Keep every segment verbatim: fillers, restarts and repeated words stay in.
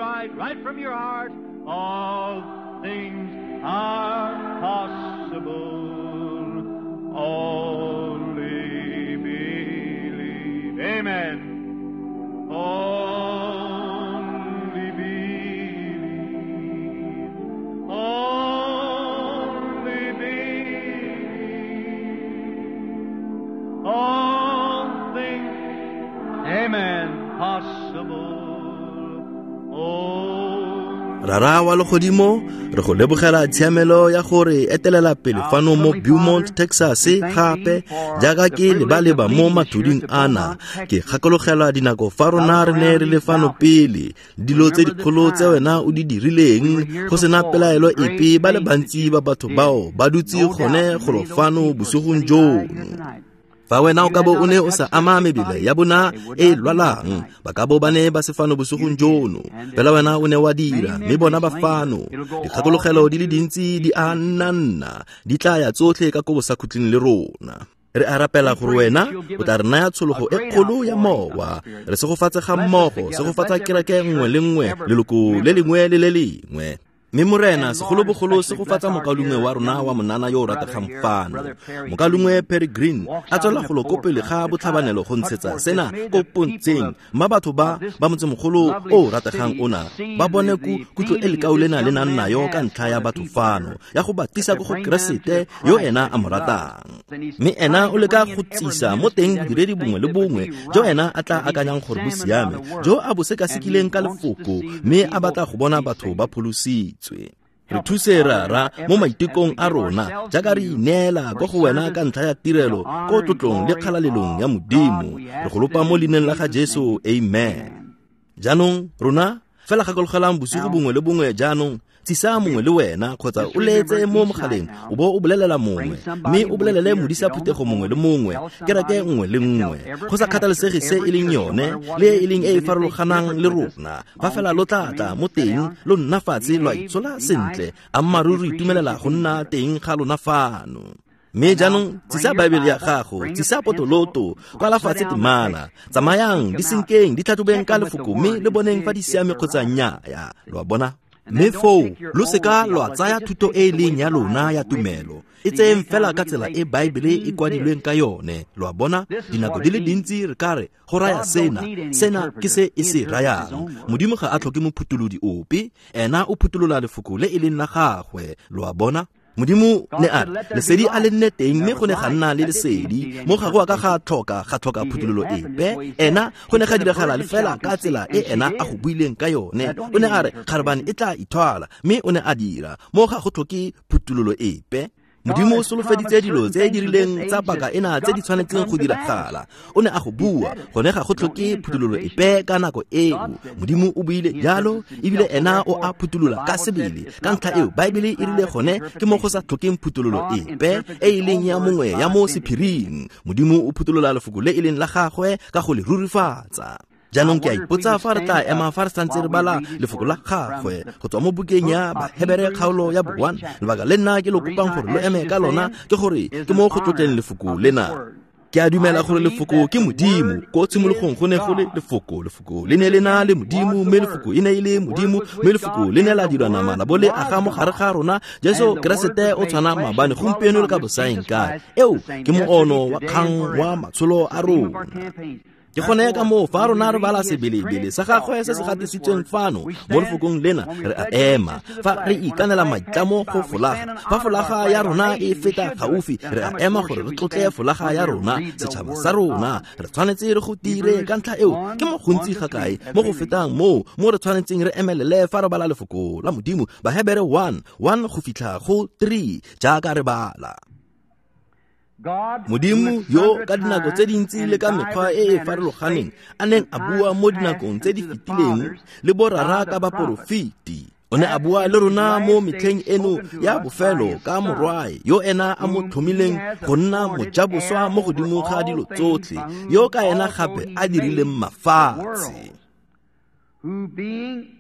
right, right from your heart. All things are possible. Only believe. Amen. Only believe. Only believe. All things, amen, possible. Rara wa legodimo, re go lebogela tshiamelo ya gore etelela pele fano mo Beaumont, Texas gape jaaka ke leba-leba mo mathuding ana. Ke gakologelwa dinako fa rona re ne re le fano pele, dilo tse dikgolo tse wena o di dirileng, go sena pelaelo epe ba le bantsi ba batho bao ba dutse gone golo fano bosigong jono. Fa wena o ka bo o ne o sa ama mebele ya bona e lwalang, ba ka bo ba ne ba se fano bosigong jono. Fela wena o ne wa dira, mme bona ba fano. Dikgakologelo di le dintsi di a nna nna, di tla ya tsotlhe ka ko bosakhutleng le rona. Re a rapela gore wena o tla re naya tshologo e kgolo ya mowa. Re segofatse ga mmogo, segofatsa kereke nngwe le nngwe, leloko le lengwe le le lengwe. Mme Morena, segolobogolo segofatsa mokaulengwe wa rona wa monana yo o rategang fano, mokaulengwe Perry Green, a tswela golo ko pele ga botlhabanelo go ntshetsa sena ko pontsheng, mma batho ba ba motsemogolo o o rategang ona ba bone ku kutlo e lekau lena le nang nayo ka ntlha ya batho fano, ya go ba tlisa ko go Keresete yo ena a mo ratang. Mme ena o leka go tsisa mo teng bodiredi bongwe le bongwe jo ena a tla akanyang gore bo siame, jo a bo sekasekileng ka lefoko, mme a batla go bona batho ba pholositswe. Re thuse Rara mo maitekong a rona jaaka re ineela ko go wena ka ntlha ya tirelo ko tlotlong le kgalalelong ya Modimo. Re go lopa mo leineng la ga Jesu, amen. Jaanong rona fela gakologelang bosigo bongwe le bongwe jaanong, tsisa mongwe le wena kgotsa o letse mo mogaleng o bo o bolelela mongwe, mme o bolelele modisa phuthego mongwe le mongwe, kereke nngwe le nngwe, go sa kgathalesege se e leng yone le e leng e e farologanang le rona. Fa fela lo tla tla mo teng, lo nna fatshe lwa itshola sentle, ammaaruri itumelela go nna teng ga lona fano. Mme jaanong tsisa Baebele ya gago, tsisa potoloto, kwala fatshe temana, tsamayang di senkeng, di tlhatlhobeng ka lefoko, mme le boneng fa di siame kgotsa nnyaa. Lo a bona? Mme foo lo seka lwa tsaya thuto e e leng ya lona ya tumelo, e tseyeng fela ka tsela e Baebele e kwadilweng ka yone. Lo a bona? Dinako di le dintsi re ka re go raya sena, sena ke se e se rayang. Modimo ga a tlhoke mophutholodi ope, ena o phutolola lefoko le e leng la gagwe. Lo a bona? Modimo ne a re lesedi a le nne teng, mme go ne ga nna le lesedi. Mo ga go a ka ga tlhoka ga tlhoka phuthololo epe. Ena go ne ga diragala le fela ka tsela e ena a go buileng ka yone. O ne a re kgarebane e tla ithwala, mme o ne a dira. Mo ga go tlhoke phuthololo epe. Modimo o solofeditse dilo tse di rileng tsa paka ena tse di tshwanetseng go diragala. O ne a go bua, gone ga go tlhoke phuthololo epe ka nako eo. Modimo o buile jalo, ebile ena o a phutolola ka sebele. Ka ntlha eo, Baebele e rile gone ke mo go sa tlhokeng phuthololo epe e e leng ya mongwe ya mo sephiring. Modimo o phutolola lefoko le e leng la gagwe ka go le rurifatsa. Jaanong ke a ipotsa fa re tla ema fa re santse re bala lefoko la gagwe go tswa mo bukeng ya Bahebere kgaolo ya bo one. Lebaka le nna ke lo kopang gore lo eme ka lona ke gore ke mo go tlotleng lefoko lena. Ke a dumela gore lefoko ke Modimo. Ko tshimologong go ne go le lefoko, lefoko le ne le na le Modimo, mme lefoko e ne e le Modimo, mme lefoko le ne la dirwa nama la bo le aga mo gare ga rona. Jesu Keresete o tshwana maabane, gompieno le ka bosaeng kae. Eo ke moono wa kgang wa matsholo a rona. Ke gone ka moo fa rona re bala sebelebele sa gagwe se se gatisitsweng fano mo lefokong lena, re a ema fa re ikanela maitlamo go folaga. Fa folaga ya rona e feta gaufi, re a ema gore re tlotle folaga ya rona, setšhaba sa rona. Re tshwanetse re go dire ka ntlha eo. Ke mo gontsi ga kae mo go fetang moo mo re tshwanetseng re emelele fa re bala lefoko la Modimo. Bahebere one, one go fitlha go three jaaka re bala. Modimo yo ka dinako tse dintsi le ka mekgwa e e farologaneng a neng a bua mo dinakong tse di fetileng le borara ka baporofeti, o ne a bua le rona mo metlheng eno ya bofelo ka Morwae yo ena a mo tlhomileng go nna mojaboswa mo godimo ga dilo tsotlhe, yo ka ena gape a dirileng mafatshe. Who being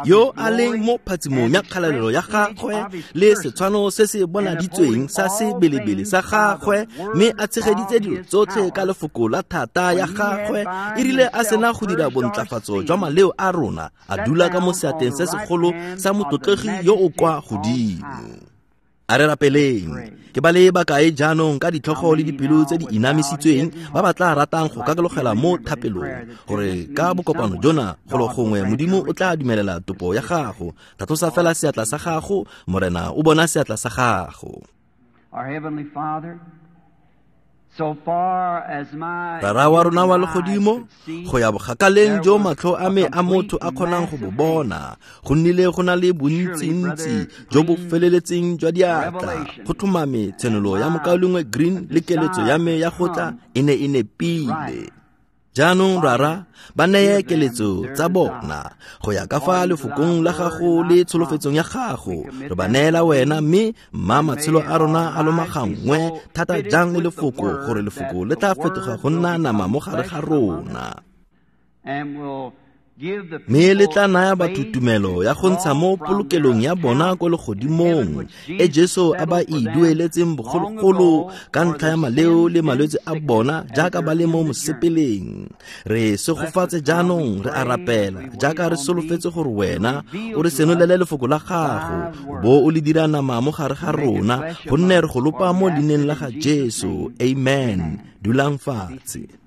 Yo a leng mo phatsimong ya kgalalelo ya gagwe le setshwano se se bonaditsweng sa sebelebele sa gagwe, mme a tshegeditse dilo tsotlhe ka lefoko la thata ya gagwe, e rile a sena go dira bontlafatso jwa maleo a rona, a dula ka mo seatleng se segolo sa motlotlegi yo o kwa godimo. A re rapeleng. Ke ba le bakae jaanong ka ditlhogo le dipelo tse di inamisitsweng ba ba tla ratang go kakalogela mo thapelong, gore ka bokopano jona golo gongwe Modimo o tla dumelela topo ya gago. Tlhatlosa fela seatla sa gago, Morena o bona seatla sa gago. Our Heavenly Father, so far as my Rara wa rona wa legodimo, go ya bokgakaleng jo matlho a me a motho a kgonang go bo bona, go nnile go na le bontsintsi jo bo feleletseng jwa diatla. Go tlhomame tshenolo ya mokaulengwe Green le keletso ya me ya go tla e ne e nepile. Jaanong Rara, ba neye keletso tsa bona go ya ka fa lefokong la gago le tsholofetsong ya gago. Re ba neela wena, mme mma matshelo a rona a lomagangwe thata jang le lefoko, gore lefoko le tla fetoga go nna nama mo gare ga rona. And will give the Mme le people tla naya batho faith tumelo ya go ntsha mo polokelong ya bona ko legodimong, e Jesu a ba e dueletseng bogologolo ka ntlha ya maleo le malwetse a bona jaaka ba le mo mosepeleng. Re segofatse jaanong, re a rapela jaaka re solofetse gore wena o re senolele lefoko la gago, o bo o le dira nama mo gare ga rona, gonne re go lopa mo leineng la ga Jesu. Amen. Dulang fatshe.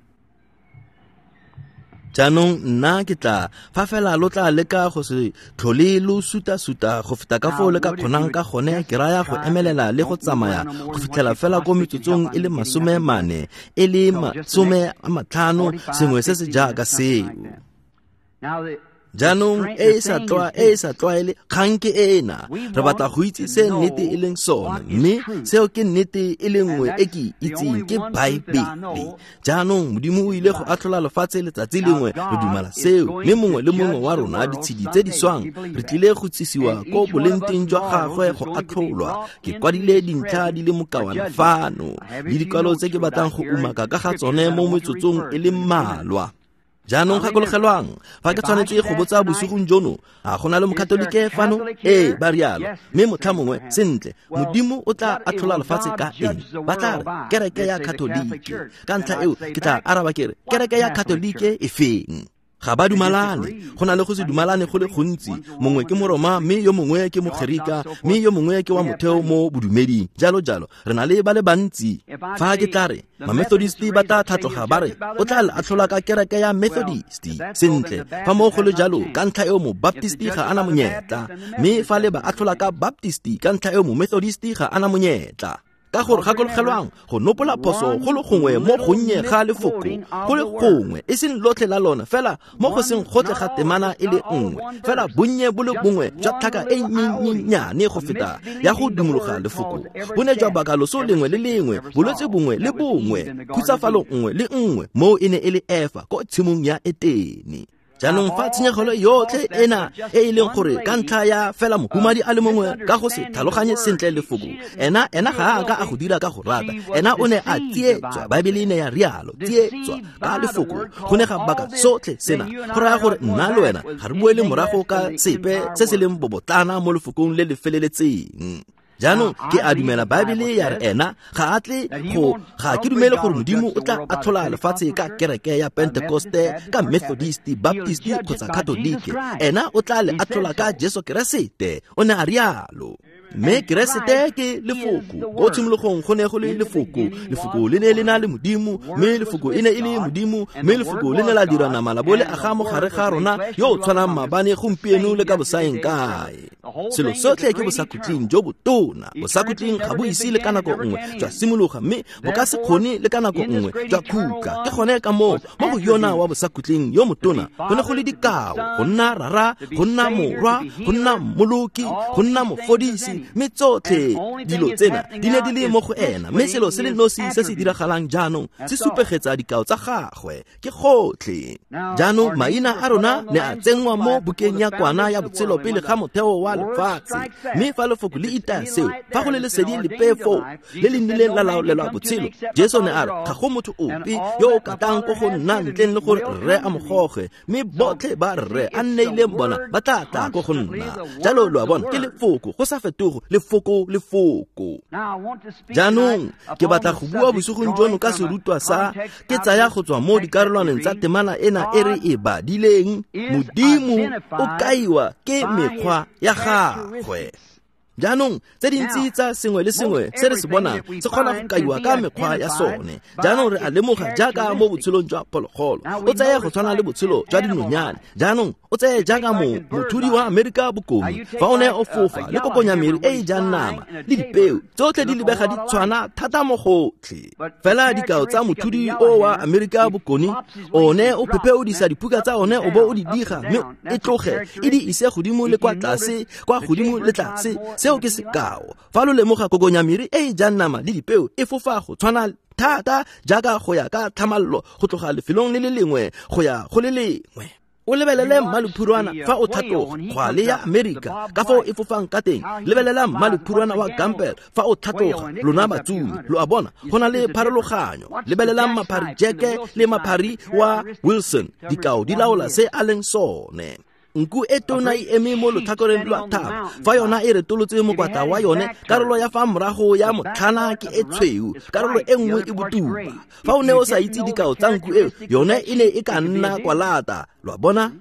Jaanong nna ke tla fa fela lo tla leka go se tlhole lo suta-suta go feta ka foo le ka kgonang ka gone, ke raya go emelela le go tsamaya go fitlhela fela ko metsotsong e le masome mane, e le masome a matlhano, sengwe se se jaaka seo. Now the Jaanong e e sa tlwa e e sa tlwaele kgang ke ena, re batla go itse se nnete e leng sone, mme seo ke nnete e le nngwe e ke itseng, ke Baebele. Jaanong Modimo o ile go atlhola lefatshe letsatsi lengwe, re dumela seo, mme mongwe le mongwe wa rona ditshedi tse di swang re tlile go tsisiwa ko bolengteng jwa gagwe go atlholwa. Ke kwadile dintlha di le mokawana fano le dikwalo tse ke batlang go umaka ka ga tsone mo metsotsong e le mmalwa. Jaanong gakologelwang, fa ke tshwanetse go botsa bosigong jono, a go na le mokatolike fano? Ee, ba rialo. Mme motlha mongwe, sentle, Modimo o tla atlhola lefatshe ka eng? Ba tla re, kereke ya Katolike. Ka ntlha eo, ke tla araba ke re, kereke ya Katolike e feng? Ga ba dumalane, go na le go se dumalane go le gontsi. Mongwe ke Moroma, mme yo mongwe ke Mogerika, mme yo mongwe ke wa motheo mo bodumeding, jalo jalo. Re na le ba le bantsi. Fa ke tla re, Mamethodist ba tla tlhatloga ba re, o tla le atlhola ka kereke ya Methodist. Sentle, fa mo go le jalo, ka ntlha eo Mobaptist ga ana monyetla, mme fa le ba atlhola ka Baptist, ka ntlha eo Momethodist ga ana monyetla. Ka gore gakologelwang, go nopola phoso go le gongwe mo gonnye ga lefoko, go le gongwe, e seng lotlhe la lona, fela mo go seng gotlhe ga temana e le nngwe, fela bonnye bo le bongwe jwa tlhaka e nnyennyane go feta ya go dumologa lefoko, bo ne jwa baka loso lengwe le lengwe, bolwetse bongwe le bongwe, khutsafalo nngwe le nngwe, moo e ne e le Efa ko tshimong ya Etene. Jaanong fa tshenyegelo yotlhe ena e e leng gore ka ntlha ya fela mohumadi a le mongwe ka go se tlhaloganye sentle lefoko, ena ena ga a ka a go dira ka go rata, ena o ne a tsietswa. Baebele e ne ya rialo, tsietswa ka lefoko, go ne ga baka sotlhe sena. Go raya gore nna le wena ga re boele morago ka sepe se se leng bobotlana mo lefokong le le feleletseng. Jaanong ke a dumela Baebele ya re ena ga a tle go ga ke dumele gore Modimo o tla atlhola lefatshe ka kereke ya Pentekoste, ka Methodist, Baptist kgotsa Katolike. Ena o tla le atlhola ka Jesu Keresete, o ne a rialo. Mme Keresete ke lefoko. Ko tshimologong go ne go le lefoko, lefoko le ne le na le Modimo, mme lefoko e ne e le Modimo, mme lefoko le ne la dira nama la bo le aga mo gare ga rona, yo o tshwanang maabane, gompieno le ka bosaeng kae. Selo sotlhe ke bosakhutleng jo botona. Bosakhutleng ga bo ise le ka nako nngwe jwa simologa, mme bo ka se kgone le ka nako nngwe jwa khutla. Ke gone ka moo mo go yona wa bosakhutleng yo motona go ne go le dikao, go nna Rara, go nna Morwa, go nna Mmoloki, go nna Mofodisi, mme tsotlhe dilo tsena di ne di le mo go ena. Mme selo se le nosi se se diragalang jaanong se supegetsa dikao tsa gagwe, ke gotlhe. Jaanong maina a rona ne a tsenngwa mo bukeng ya kwana ya botshelo pele ga motheo wa lefatshe. Mme fa lefoko le itaya seo, fa go le lesedi lepe foo le le nnileng la laolelwa botshelo, Jesu ne a re ga go motho ope yo o ka tlang ko go nna ntleng le gore Rre a mo goge, mme botlhe ba Rre a nneileng bona ba tla tla ko go nna. Jalo lo a bona, ke lefoko go sa fetogo, lefoko lefoko. Jaanong ke batla go bua bosigong jono ka serutwa sa ke tsaya go tswa mo dikarolwaneng tsa temana ena e re e badileng, Modimo o kaiwa ke mekgwa ya gagwe. Jaanong tse dintsi tsa sengwe le sengwe se re se bonang se kgona go kaiwa ka mekgwa ya sone. Jaanong re a lemoga jaaka mo botshelong jwa phologolo, o tseye go tshwana le botshelo jwa dinonyane. Jaanong o tseye jaaka mo mothudi wa Amerika Bokone, fa o ne o fofa le kokonyamere e e jang nama le dipeo, tsotlhe di lebega di tshwana thata mo gotlhe. Fela dikao tsa mothudi o wa Amerika Bokone, one o phepheodisa diphuka tsa one o bo o di diga, mme e tloge e di ise godimo le kwa tlase, kwa godimo le tlase. Seo ke sekao. Fa lo lemoga kokonyamere e e jang nama le dipeo e fofa go tshwana thata jaaka go ya ka tlhamallo go tloga lefelong le le lengwe go ya go le lengwe. O lebelele mmaluphurwana fa o tlhatloga kgwale ya Amerika ka foo e fofang ka teng. Lebelela mmaluphurwana wa Campbell fa o tlhatloga, lona batsumi, lo a bona, go na le pharologanyo. Lebelelang maphari Jeke le maphari wa Wilson, dikao di laola se a leng sone. Nku e tona e eme mo lotlhakoreng lwa thaba, fa yona e retolotse mokwatla wa yone, karolo ya fa morago ya motlhana ke e tshweu, karolo e nngwe e botuba. Fa o ne o sa itse dikao tsa nku eo, yone e ne e ka nna kwalata. Lo a bona?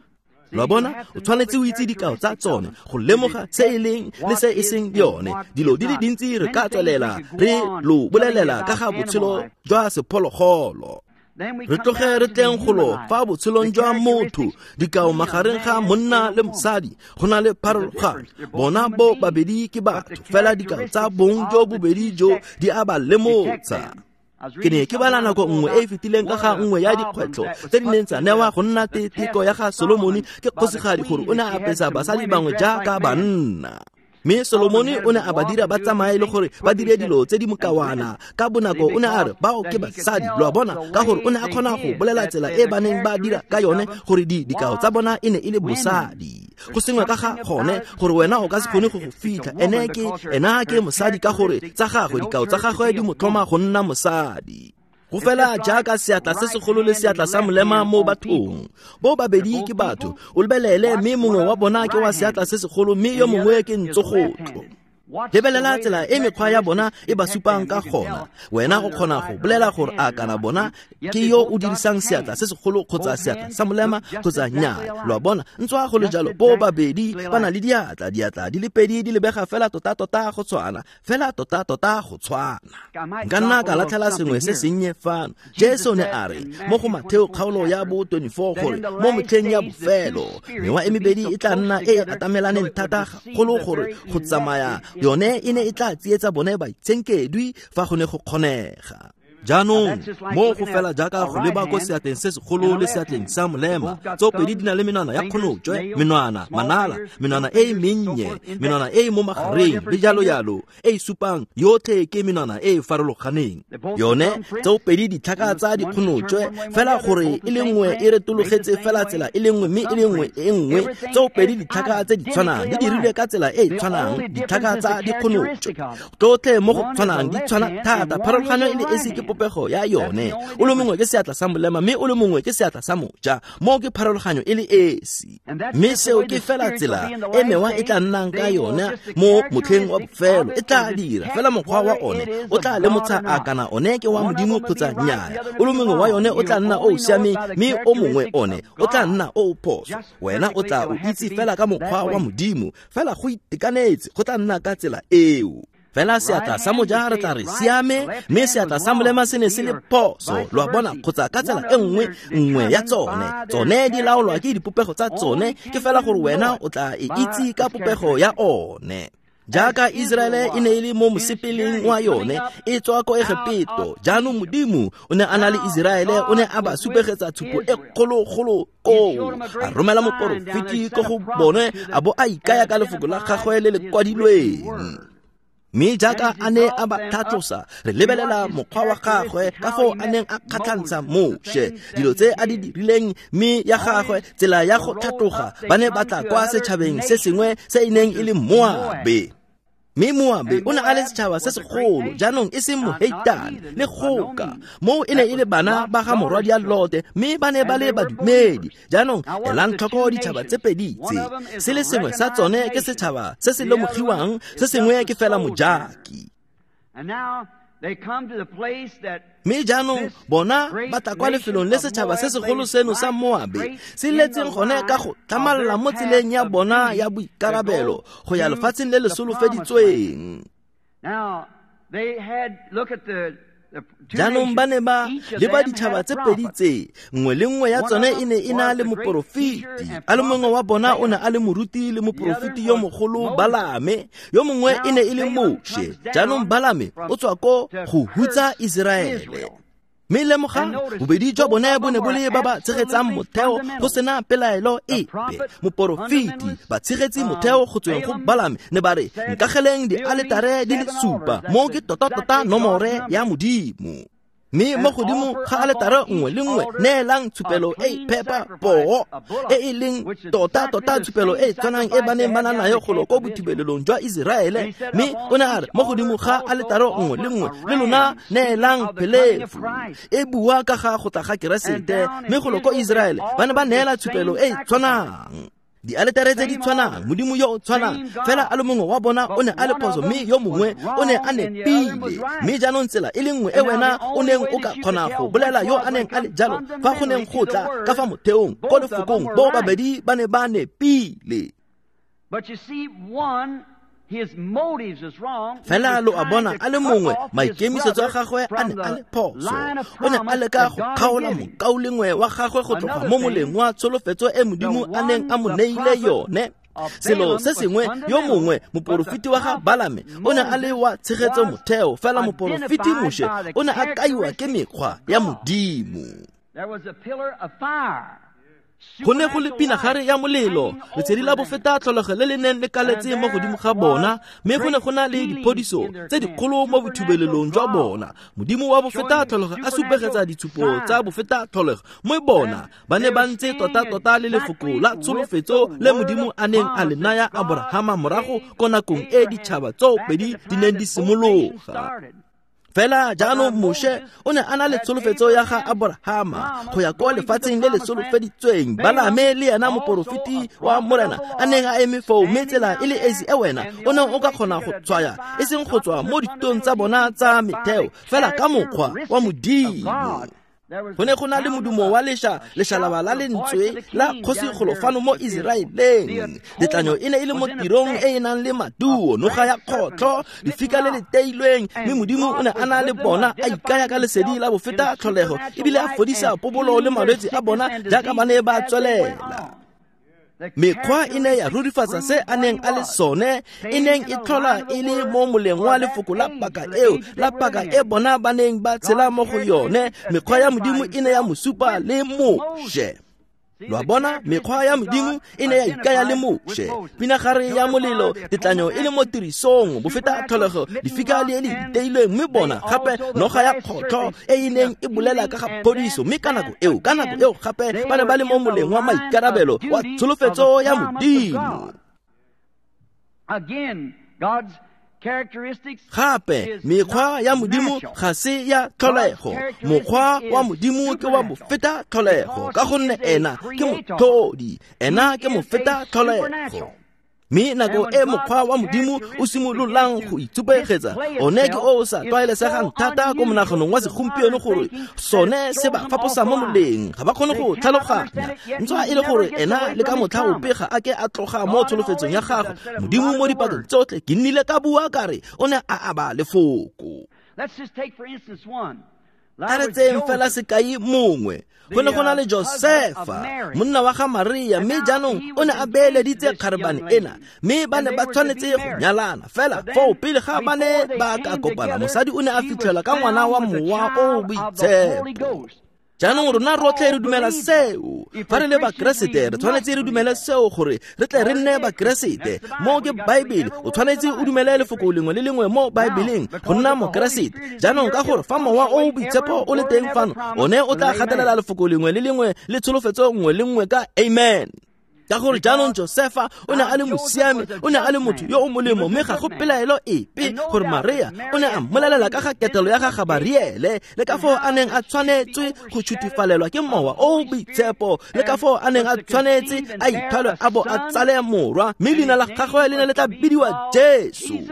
Lo a bona? O tshwanetse o itse dikao tsa tsone go lemoga se e leng le se e seng yone. Dilo di le dintsi re ka tswelela re lo bolelela ka ga botshelo jwa sephologolo. Re tloge re tleng golo fa botshelong jwa motho, dikao magareng ga monna le mosadi go na le pharologanyo. Bona bo babedi ke batho, fela dikao tsa bong jo bobedi jo di a ba lemotsa. Ke ne ke bala nako nngwe e e fetileng ka ga nngwe ya dikgwetlho tse di neng tsa newa go nna teko ya ga Solomone ke kgosigadi gore o ne a apesa basadi bangwe jaaka banna. Mme Solomone o ne a ba dira ba tsamaye le gore ba dire dilo tse di mokawana. Ka bonako o ne a re bao ke basadi, lo a bona, ka gore o ne a kgona go bolela tsela e ba neng ba dira ka yone gore di dikao tsa bona e ne e le bosadi. Go sengwe ka ga gone gore wena o ka se kgone go go fitlha, ene ke ena ke mosadi ka gore tsa gagwe dikao tsa gagwe di mo tlhoma go nna mosadi. Go fela jaaka seatla se segolo le seatla sa molema mo bathong. Bo babedi ke batho, o lebelele mme mongwe wa bona ke wa seatla se segolo mme yo mongwe ke ntsogotlo. Lebelela tsela e mekgwa ya bona e ba supang ka gona. Wena o kgona go bolela gore a kana bona ke yo o dirisang seatla se segolo kgotsa seatla sa molema kgotsa nnyaa. Lo a bona, ntswa go le jalo, bo babedi ba na le diatla, diatla di le pedi di lebega fela tota-tota go tshwana, fela tota-tota go tshwana. Nka nna ka latlhela sengwe se sennye fano. Jesu ne a re mo go Matheo kgaolo ya bo twenty-four gore mo metlheng ya bofelo mewa e mebedi e tla nna e e atamelaneng thata golo gore go tsamaya yone e ne e tla tsietsa bone baitshenkedwi fa go ne go kgonega. Jaanong mo go fela jaaka go leba ko seatleng se segolo le seatleng sa molema, tsopedi di na le menwana ya kgonotswe, menwana manala, menwana e e mennye, menwana e e mo magareng le jalo jalo, e e supang yotlhe ke menwana e e farologaneng. Yone tsopedi ditlhaka tsa dikgonotswe, fela gore e le nngwe e retologetse fela tsela e le nngwe mme e le nngwe e nngwe, tsopedi ditlhaka tse di tshwanang di dirilwe ka tsela e e tshwanang, ditlhaka tsa dikgonotswe tsotlhe mo go tshwanang di tshwana thata. Pharologanyo e le esi ke popego ya yone. O le mongwe ke seatla sa molema mme o le mongwe ke seatla sa moja, mo ke pharologanyo e le esi. Mme seo ke fela tsela e mewa e tla nnang ka yone mo motlheng wa bofelo. E tla dira fela mokgwa wa one o tla lemotsha a kana one ke wa Modimo kgotsa nnyaa. O le mongwe wa yone o tla nna o o siameng mme o mongwe one o tla nna o o phoso. Wena o tla o itse fela ka mokgwa wa Modimo, fela go itekanetse go tla nna ka tsela eo. Fela seatla sa moja re tla re siame, mme seatla sa molema se ne se le phoso. Lo a bona, kgotsa ka tsela e nngwe nngwe ya tsone, tsone di laolwa ke dipopego tsa tsone, ke fela gore wena o tla e itse ka popego ya one. Jaaka Iseraele e ne e le mo mosepeleng wa yone e tswa ko Egepeto, jaanong Modimo o ne a na le Iseraele, o ne a ba supegetsa tshupo e kgologolo koo, a romela moporofeti ko go bone a bo a ikaya ka lefoko la gagwe le le kwadilweng. Mme jaaka a ne a ba tlhatlosa, re lebelela mokgwa wa gagwe ka foo a neng a kgatlhantsha Moshe, dilo tse a di dirileng, mme ya gagwe tsela ya go tlhatloga ba ne ba tla kwa setšhabeng se sengwe se e neng e le Moabe. Mme Moabe o ne a le setšhaba se segolo, jaanong e seng moheitane le goka. Moo e ne e le bana ba ga morwadia Lote, mme ba ne ba le badumedi. Jaanong elang tlhoko ditšhaba tse pedi tse, se le sengwe sa tsone ke setšhaba se se lemogiwang, se sengwe ke fela mojaki. Mme jaanong bona ba tla kwa lefelong le setšhaba se segolo seno sa Moabe se letseng gone ka go tlhamalala mo tseleng ya bona ya boikarabelo go ya lefatsheng le le solofeditsweng. Jaanong ba ne ba leba ditšhaba tse pedi tse, nngwe le nngwe ya tsone e ne e na le moporofeti. A le mongwe wa bona o ne a le moruti le moporofeti yo mogolo Balame, yo mongwe e ne e le Moshe. Jaanong Balame o tswa ko go hutsa Iseraele. Mme lemogang, bobedi jwa bone bo ne bo le ba ba tshegetsang motheo go sena pelaelo epe. Moporofeti ba tshegetsi motheo go tsweng go Balame ne ba re, nkageleng dialetare di le supa, mo ke tota-tota nomore ya Modimo. Mme mo godimo ga aletare nngwe le nngwe neelang tshupelo e e phepa poo, e e leng tota-tota tshupelo e e tshwanang e ba neng ba na nayo golo ko bothibelelong jwa Iseraele. Mme o ne a re mo godimo ga aletare nngwe le nngwe le lona neelang phelefu, e bua ka ga go tla ga Keresete. Mme golo ko Iseraele ba ne ba neela tshupelo e e tshwanang, dialetare tse di tshwanang, Modimo yo o tshwanang, fela a le mongwe wa bona o ne a le phoso mme yo mongwe o ne a nepile. Mme jaanong tsela e le nngwe e wena o neng o ka kgona go bolela yo a neng a le jalo fa go neng go tla ka fa motheong ko lefokong, bo babedi ba ne ba nepile. Fela lo a bona a le mongwe maikemisetso a gagwe a ne a le phoso. O ne a leka go kgaola mokaulengwe wa gagwe go tloga mo moleng wa tsholofetso e Modimo a neng a mo neile yone. Selo se sengwe, yo mongwe moporofeti wa ga Balame o ne a le wa tshegetso motheo, fela moporofeti Moshe o ne a kaiwa ke mekgwa ya Modimo. Go ne go le pinagare ya molelo, letsedi la bofeta tlholego le le neng le kaletse mo godimo ga bona, mme go ne go na le diphodiso tse dikgolo mo bothibelelong jwa bona. Modimo wa bofeta tlholego a supegetsa ditshupo tsa bofeta tlholego mo bona ba ne ba ntse tota-tota le lefoko la tsholofetso le Modimo a neng a le naya Aborahama morago ko nakong e ditšhaba tseo pedi di neng di simologa. Fela jaanong Moshe o ne a na le tsholofetso ya ga Aborahama go ya kwa lefatsheng le le solofeditsweng. Balame le ena moporofeti wa Morena a neng a eme foo, mme tsela e le esi e wena o neng o ka kgona go tshwaya, e seng go tswa mo ditong tsa bona tsa metheo, fela ka mokgwa wa Modimo. Go ne go na le modumo wa lesha, leshalaba la lentswe la kgosigolo fano mo Iseraeleng. Letlanyo e ne e le mo tirong e e nang le maduo, noga ya kgotlho, lefika le le teilweng, mme Modimo o ne a na le bona a ikaya ka lesedi la bofeta tlholego, ebile a fodisa pobolo le malwetse a bona jaaka ba ne ba tswelela. Mekgwa e ne ya rurifatsa se a neng a le sone, e neng e tlhola e le mo moleng wa lefoko la paka eo, la paka e bona ba neng ba tshela mo go yone. Mekgwa ya Modimo e ne ya mo supa le Moshe. Lo a bona, mekgwa ya Modimo e ne ya ikaya le Moshe. Pinagare ya molelo, tetlanyo e le mo tirisong, bofeta tlholego, lefika le le iteilweng, mme bona gape noga ya kgotlho e e neng e bolela ka ga phodiso. Mme ka nako eo, ka nako eo gape ba ne ba le mo moleng wa maikarabelo wa tsholofetso ya Modimo. Gape mekgwa ya Modimo ga se ya tlholego. Mokgwa wa Modimo ke wa bofeta tlholego, ka gonne ena ke motlhodi, ena ke mofeta tlholego. Mme nako e mokgwa wa Modimo o simololang go itshupegetsa, one ke o o sa tlwaelesegang thata ko monaganong wa segompieno gore sone se ba faposa mo moleng, ga ba kgone go tlhaloganya. Ntswa e le gore ena le ka motlha ope ga a ke a tloga mo tsholofetsong ya gagwe. Modimo mo dipakeng tsotlhe, ke nnile ka bua ka re o ne a aba lefoko. A re tseyeng fela sekai mongwe. Go ne go na le Josefa, monna wa ga Maria, mme jaanong o ne a beeleditse kgarebane ena, mme ba ne ba tshwanetse go nyalana. Fela foo pele ga ba ne ba ka kopana, mosadi o ne a fitlhelwa ka ngwana wa mowa o o boitshepo. Jaanong rona rotlhe re dumela seo. Fa re le Bakeresete re tshwanetse re dumele seo gore re tle re nne Bakeresete. Mo ke Baebele, o tshwanetse o dumele lefoko lengwe le lengwe mo Baebeleng go nna Mokeresete. Jaanong ka gore fa Mowa o o Boitshepo o le teng fano, one o tla gatelela lefoko lengwe le lengwe le tsholofetso nngwe le nngwe ka amen. Ka gore jaanong Josefa o ne a le mosiami, o ne a le motho yo o molemo, mme ga go pelaelo epe gore Maria o ne a mmolelela ka ga ketelo ya ga Gabariele, le ka foo a neng a tshwanetswe go tšhutifalelwa ke Mowa o o Boitshepo, le ka foo a neng a tshwanetse a ithwalwe a bo a tsale morwa, mme leina la gagwe le ne le tla bidiwa Jesu.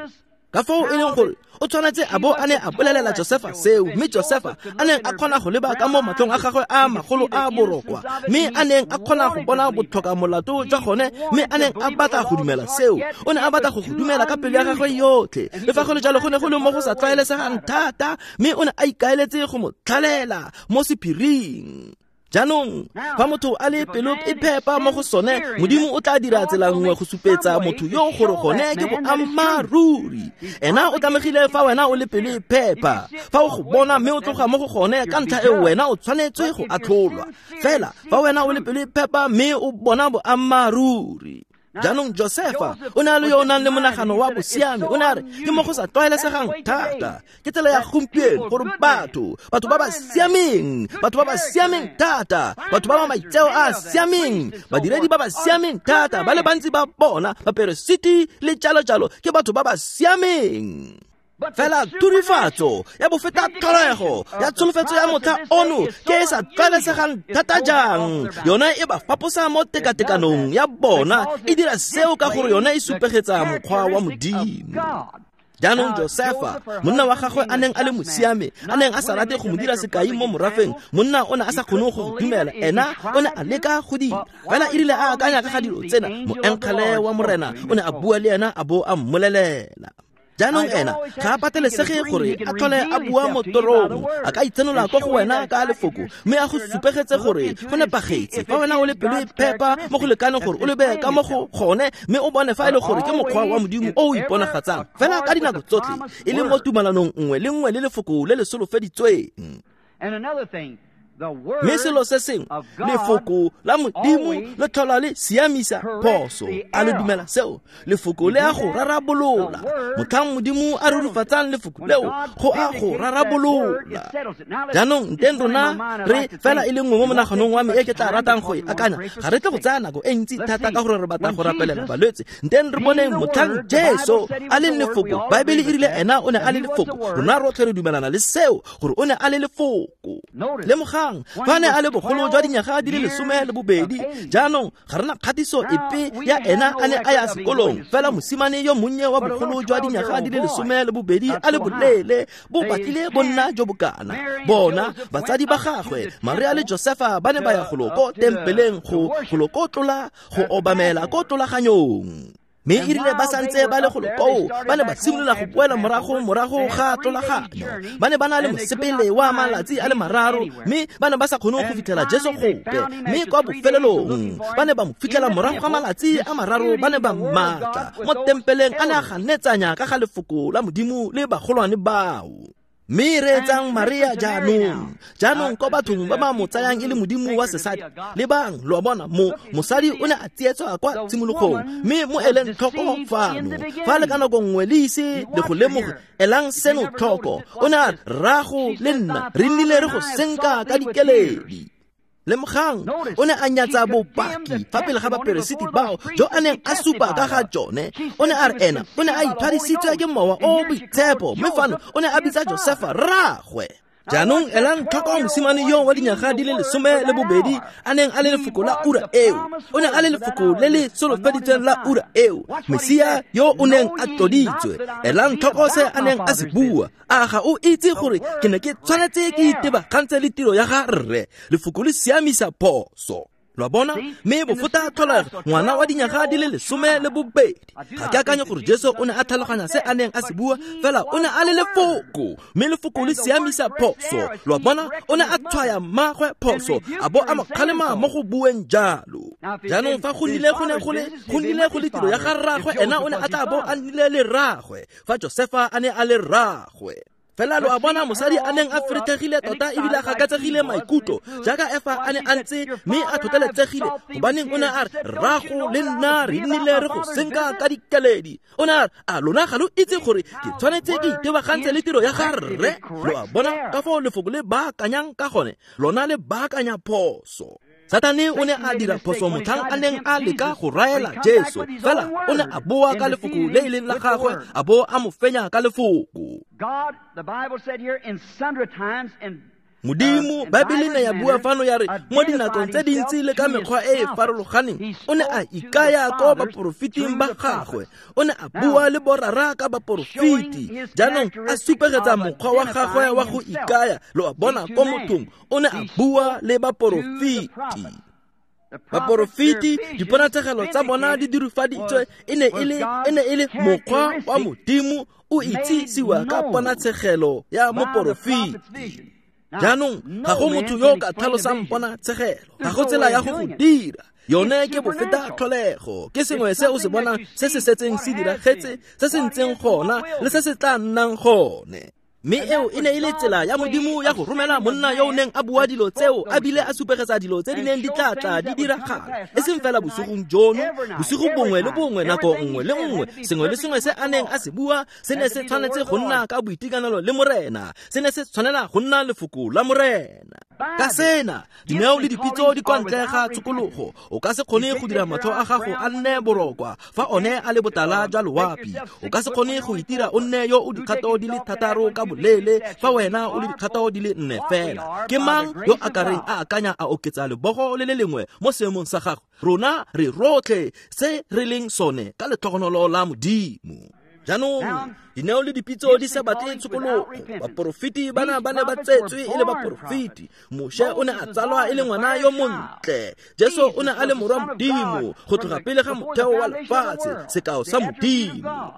Ka foo e leng gore o tshwanetse a bo a ne a bolelela Josefa seo, mme Josefa a neng a kgona go leba ka mo matlhong a gagwe a magolo a borokwa, mme a neng a kgona go bona botlhoka molato jwa gone, mme a neng a batla go dumela seo. O ne a batla go go dumela ka pelo ya gagwe yotlhe. Le fa go le jalo go ne go le mo go sa tlwaelesegang thata, mme o ne a ikaeletse go mo tlhalela mo sephiring. Jaanong fa motho a le pelo e phepa mo go sone, Modimo o tla dira tsela nngwe go supetsa motho yo gore gone ke boammaaruri. Ena o tlamegile fa wena o le pelo e phepa, fa o go bona mme o tloga mo go gone ka ntlha eo wena o tshwanetswe go atlholwa. Fela fa wena o le pelo e phepa mme o bona boammaaruri. Jaanong Josefa o ne a le yo o nang le monagano wa bosiami, o ne a re ke mo go sa tlwaelesegang thata, ke tsela ya gompieno gore batho, batho ba ba siameng, batho ba ba siameng thata, batho ba ba maitseo a a siameng, badiredi ba ba siameng thata, ba le bantsi ba bona, baperesiti le jalo-jalo, ke batho ba ba siameng. Fela thurifatso ya bofeta tlholego ya tsholofetso ya motlha ono ke e sa tlwaelesegang thata jang. Yone e ba faposa mo tekatekanong ya bona, e dira seo ka gore yone e supegetsa mokgwa wa Modimo. Jaanong Josefa, monna wa gagwe a neng a le mosiame, a neng a sa rate go mo dira sekai mo morafeng, monna o ne a sa kgone go go dumela, ena o ne a leka go dira. Fela e rile a akanya ka ga dilo tsena, moengele wa Morena o ne a bua le ena a bo a mmolelela. Jaanong ena ga a patelesege gore a tlhole a bua mo torong, a ka itsenola kwa go wena ka lefoko, mme a go supegetse gore go nepagetse. Fa wena o le pelo e phepa mo go lekaneng gore o lebe ka mo go gone, mme o bone fa e le gore ke mokgwa wa Modimo o o iponagatsang fela ka dinako tsotlhe, e le mo tumalanong nngwe le nngwe le lefoko le le solofeditsweng. Mme selo se sengwe, lefoko la Modimo le tlhola le siamisa phoso. A le dumela seo? Lefoko le a go rarabolola. Motlhang Modimo a rurifatsang lefoko leo, go a go rarabolola. Jaanong nteng rona re fela e le nngwe mo monaganong wa me e ke tla ratang go e akanya. Ga re tle go tsaya nako e ntsi thata ka gore re batla go rapelela balwetse. Nteng re boneng motlhang Jesu a leng lefoko. Baebele e rile ena o ne a le lefoko. Rona rotlhe re dumelana le seo gore o ne a le lefoko. Lemoga fa ne a le bogolo jwa dinyaga di le lesome le bobedi, jaanong ga rena kgatiso epe ya ena a ne a ya sekolong. Fela mosimane yo monnye wa bogolo jwa dinyaga di le lesome le bobedi a le boleele bo batlile bo nna jo bokana. Bona batsadi ba gagwe Maria le Josefa ba ne ba ya golo ko tempeleng go golo ko tlola go obamela ko tlolaganyong. Mme e rile ba santse ba le golo koo, ba ne ba simolola go boela morago morago ga tlolaganyo. Ba ne ba na le mosepele wa malatsi a le mararo, mme ba ne ba sa kgone go fitlhela Jesu gope. Mme kwa bofelelong ba ne ba mo fitlhela morago ga malatsi a mararo, ba ne ba mmatla mo tempeleng a ne a ganetsanya ka ga lefoko la Modimo le bagolwane bao. Mme reetsang Maria jaanong, jaanong ko bathong ba ba mo tsayang e le modimo wa sesadi. Lebang, lo a bona, mo mosadi o ne a tsietswa kwa tshimologong, mme mo eleng tlhoko fano. Fa le ka nako nngwe le ise le go lemoge, elang seno tlhoko. O ne a re, rrago le nna re nnile re go senka ka dikeledi. Lemogang, o ne a nyatsa bopaki fa pele ga baperesiti bao jo a neng a supa ka ga jone. O ne a re ena o ne a ithwadisitswe ke Mowa o o Boitshepo, mme fano o ne a bitsa Josefa rraagwe. Jaanong elang tlhoko mosimane yo wa dinyaga di le lesome le bobedi a neng a le lefoko la ura eo. O ne a le lefoko le le solofeditsweng la ura eo, Mesia yo o neng a tloditswe. Elang tlhoko se a neng a se bua. A ga o itse gore ke ne ke tshwanetse ke itebagantse le tiro ya ga rre? Lefoko le siamisa phoso. Lo a bona? Mme bofota tlholego ngwana wa dinyaga di le lesome le bobedi. Ga ke akanye gore Jesu o ne a tlhaloganya se a neng a se bua, fela o ne a le lefoko, mme lefoko le siamisa phoso. Lo a bona? O ne a tshwaya mmagwe phoso, a bo a mo kgalema mo go bueng jalo. Jaanong fa go nnile go ne go le go nnile go le tiro ya ga rraagwe, ena o ne a tla bo a nnile le rraagwe fa Josefa a ne a le rraagwe. Fela lo a bona mosadi a neng a feretlhegile tota ebile a gakatsegile maikutlo jaaka Efa a ne a ntse mme a tlhotlheletsegile, gobaneng o ne a re, rrago le nna re nnile re go senka ka dikeledi. O ne a re, a lona ga lo itse gore ke tshwanetse ke itebagantse le tiro ya ga rre? Lo a bona ka foo lefoko le baakanyang ka gone, lona le baakanya phoso. Satane o ne a dira phoso motlhang a neng a leka go raela Jesu, fela o ne a boa ka lefoko le e leng la gagwe, a bo a mo fenya ka lefoko. Modimo, Baebele ne ya bua fano ya re mo dinakong tse dintsi le ka mekgwa e e farologaneng o ne a ikaya ko baporofeting ba gagwe, o ne a bua le borara ka baporofeti. Jaanong a supegetsa mokgwa wa gagwe wa go ikaya, lo a bona ko mothong, o ne a bua le baporofeti. Baporofeti, diponatshegelo tsa bona di dirufaditswe, e ne e le e ne e le mokgwa wa Modimo o itsisiwa ka ponatshegelo ya moporofeti. Jaanong ga go motho yo o ka tlhalosang ponatshegelo, ga go tsela ya go go dira. Yone ke bofeta tlholego, ke sengwe se o se bonang se se setseng se diragetse, se se ntseng gona le se se tla nnang gone. Mme eo e ne e le tsela ya Modimo ya go romela monna yo o neng a bua dilo tseo a bile a supegetsa dilo tse di neng di tla tla di diragala, e seng fela bosigong jono, bosigo bongwe le bongwe, nako nngwe le nngwe, sengwe le sengwe se a neng a se bua se ne se tshwanetse go nna ka boitekanelo le Morena, se ne se tshwanela go nna lefoko la Morena. Ka sena, dineo le dipitso di kwa ntle ga tshokologo. O ka se kgone go dira matlho a gago a nne borokwa fa one a le botala jwa loapi. O ka se kgone go itira o nne yo o dikgato di le thataro ka boleele fa wena o le dikgato di le nne fela. Ke mang yo a ka reng a akanya a oketsa lebogo le le lengwe mo seemong sa gagwe? Rona re rotlhe se re leng sone ka letlhogonolo la Modimo. Jaanong dineo le dipitso di sa batle tshokologo. Baporofeti bana ba ne ba tsetswe e le baporofeti. Moshe o ne a tsalwa e le ngwana yo montle. Jesu o ne a le morwa Modimo go tloga pele ga motheo wa lefatshe, sekao sa Modimo.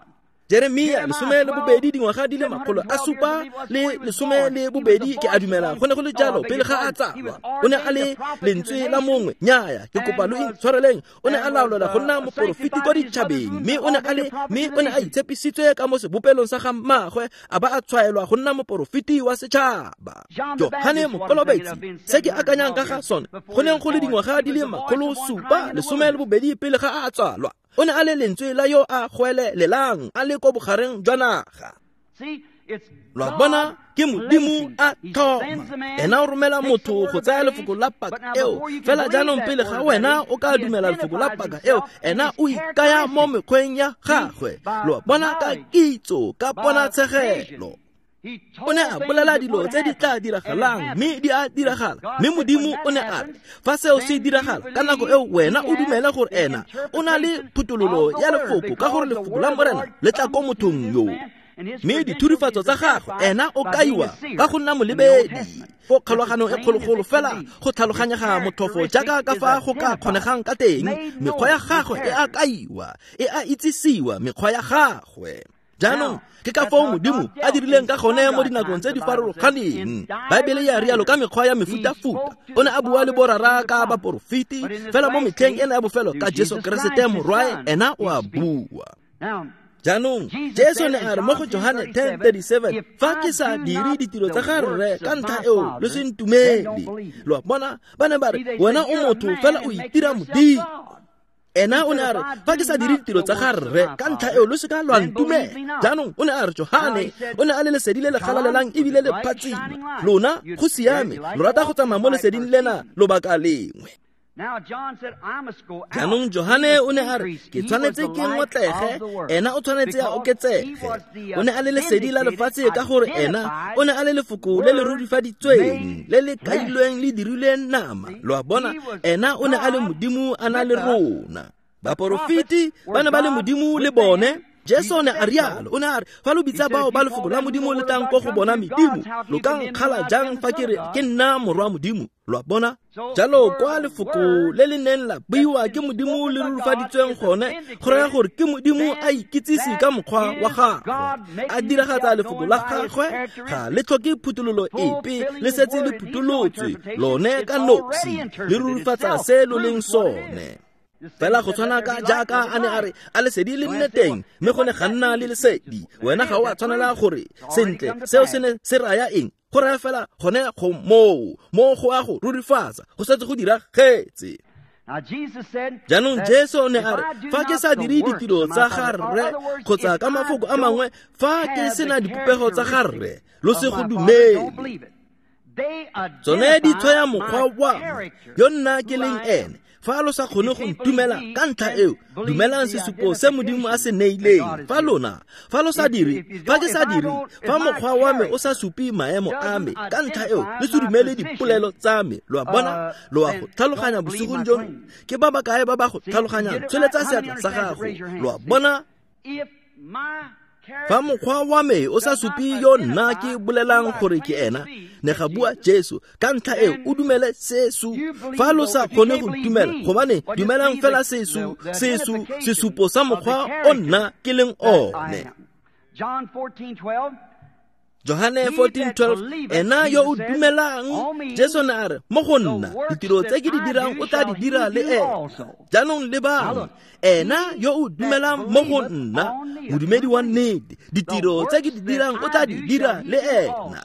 Jeremia lesome le bobedi dingwaga di le makgolo a supa le lesome le bobedi ke a dumela go ne go le jalo pele ga a tsalwa. O ne a le lentswe la mongwe, nnyaya ke kopa lo intshwareleng. O ne a laolelwa go nna moporofeti kwa ditšhabeng, mme o ne a le mme o ne a itshepisitswe ka mo sebopelong sa ga mmagwe, a ba a tshwaelwa go nna moporofeti wa setšhaba. Johane Mokolobetsi, se ke akanyang ka ga sone, go neng go le dingwaga di le makgolo supa lesome le bobedi pele ga a tsalwa. O ne a le lentswe la yo a goelelelang a le ko bogareng jwa naga. Lo a bona, ke Modimo a thoma. Ena o romela motho go tsaya lefoko la paka eo. Fela jaanong pele ga wena o ka dumela lefoko la paka eo, ena o ikaya mo mekgweng ya gagwe. Lo a bona ka kitso, ka ponatshegelo. O ne a bolela dilo tse di tla diragalang, mme di a diragala. Mme Modimo o ne a re, fa seo se diragala ka nako eo wena o dumele gore ena o na le phuthololo ya lefoko, ka gore lefoko la Morena le tla ko mothong yo. Mme dithurifatso tsa gagwe ena o kaiwa ka go nna molebedi go kgolaganong e kgologolo fela go tlhaloganyega motlhofo jaaka ka fa go ka kgonegang ka teng. Mekgwa ya gagwe e a kaiwa, e a itsisiwa mekgwa ya gagwe. Jaanong ke ka foo Modimo a dirileng ka gone mo dinakong tse di farologaneng. Baebele ya rialo ka mekgwa ya mefutafuta. O ne a bua le borara ka baporofeti, fela mo metlheng ena ya bofelo ka Jesu Keresete morwae, ena o a bua. Jaanong Jesu ne a re mo go Johane ten thirty-seven, fa ke sa dire ditiro tsa ga rre ka ntlha eo lo se ntumele. Lo a bona, ba ne ba re wena o motho fela o itira Modimo. Ena o ne a re fa ke sa dire ditiro tsa ga rre ka ntlha eo lo se ka lwa ntumela. Jaanong o ne a re Johane o ne a le lesedi le le galalelang ebile le phatsima. Lona go siame, lo rata go tsamaya mo leseding lena lobaka lengwe. Jaanong Johane o ne a re ke tshwanetse ke ngotlege, ena o tshwanetse a oketsege. O ne a le lesedi la lefatshe ka gore ena o ne a le lefoko le le rurifaditsweng, le le kailweng le dirilweng nama. Lo a bona, ena o ne a le Modimo a na le rona. Baporofeti ba ne ba le Modimo le bone. Jesu ne a rialo, o ne a re fa lo bitsa bao ba lefoko la Modimo le tlang ko go bona medimo, lo ka nkgala jang fa ke re ke nna morwa Modimo? Lo a bona? Jalo kwa lefoko le le neng la buiwa ke Modimo le rurifaditsweng gone, go raya gore ke Modimo a ikitsise ka mokgwa wa gagwe, a diragatsa lefoko la gagwe. Ga le tlhoke phuthololo epe, le setse le phutolotswe lone ka nosi, le rurifatsa se lo leng sone. Fela go tshwana ka jaaka a ne a re a lesedi le nne teng, mme go ne ga nna le lesedi. Wena ga o a tshwanela gore sentle seo se ne se raya eng? Go raya fela gone go moo, mo go a go rurifatsa, go setse go diragetse. Jaanong Jesu o ne a re, fa ke sa dire ditiro tsa ga Rre, kgotsa ka mafoko a mangwe, fa ke sena dipopego tsa ga Rre, lo se go dumele. Tsone di tshwaya mokgwa wa me, yo nna ke leng ene. Fa lo sa kgone go ntumela ka ntlha eo, dumelang sesupo se Modimo a se neileng. Fa lona, fa lo sa dire, fa ke sa dire, fa mokgwa wa me o sa supe maemo a me, ka ntlha eo le se dumele dipolelo tsa me. Lo a bona, lo a go tlhaloganya bosigong jono. Ke ba ba kae ba ba go tlhaloganyang? Tsholetsa seatla sa gago. Lo a bona? Fa mokgwa wa me o sa supe yo nna ke bolelang gore ke ena, ne ga bua Jesu, ka ntlha eo o dumele sesu. Fa lo sa kgone go ntumela, gobane dumelang fela sesu, sesu, sesupo sa mokgwa o nna ke leng one. Johane fourteen twelve, ena yo o dumelang, Jesu ne a re, mo go nna, ditiro tse ke di dirang o tla di dira le ena. Jaanong lebang, ena yo o dumelang mo go nna, modumedi wa nnete, ditiro tse ke di dirang o tla di dira le ena.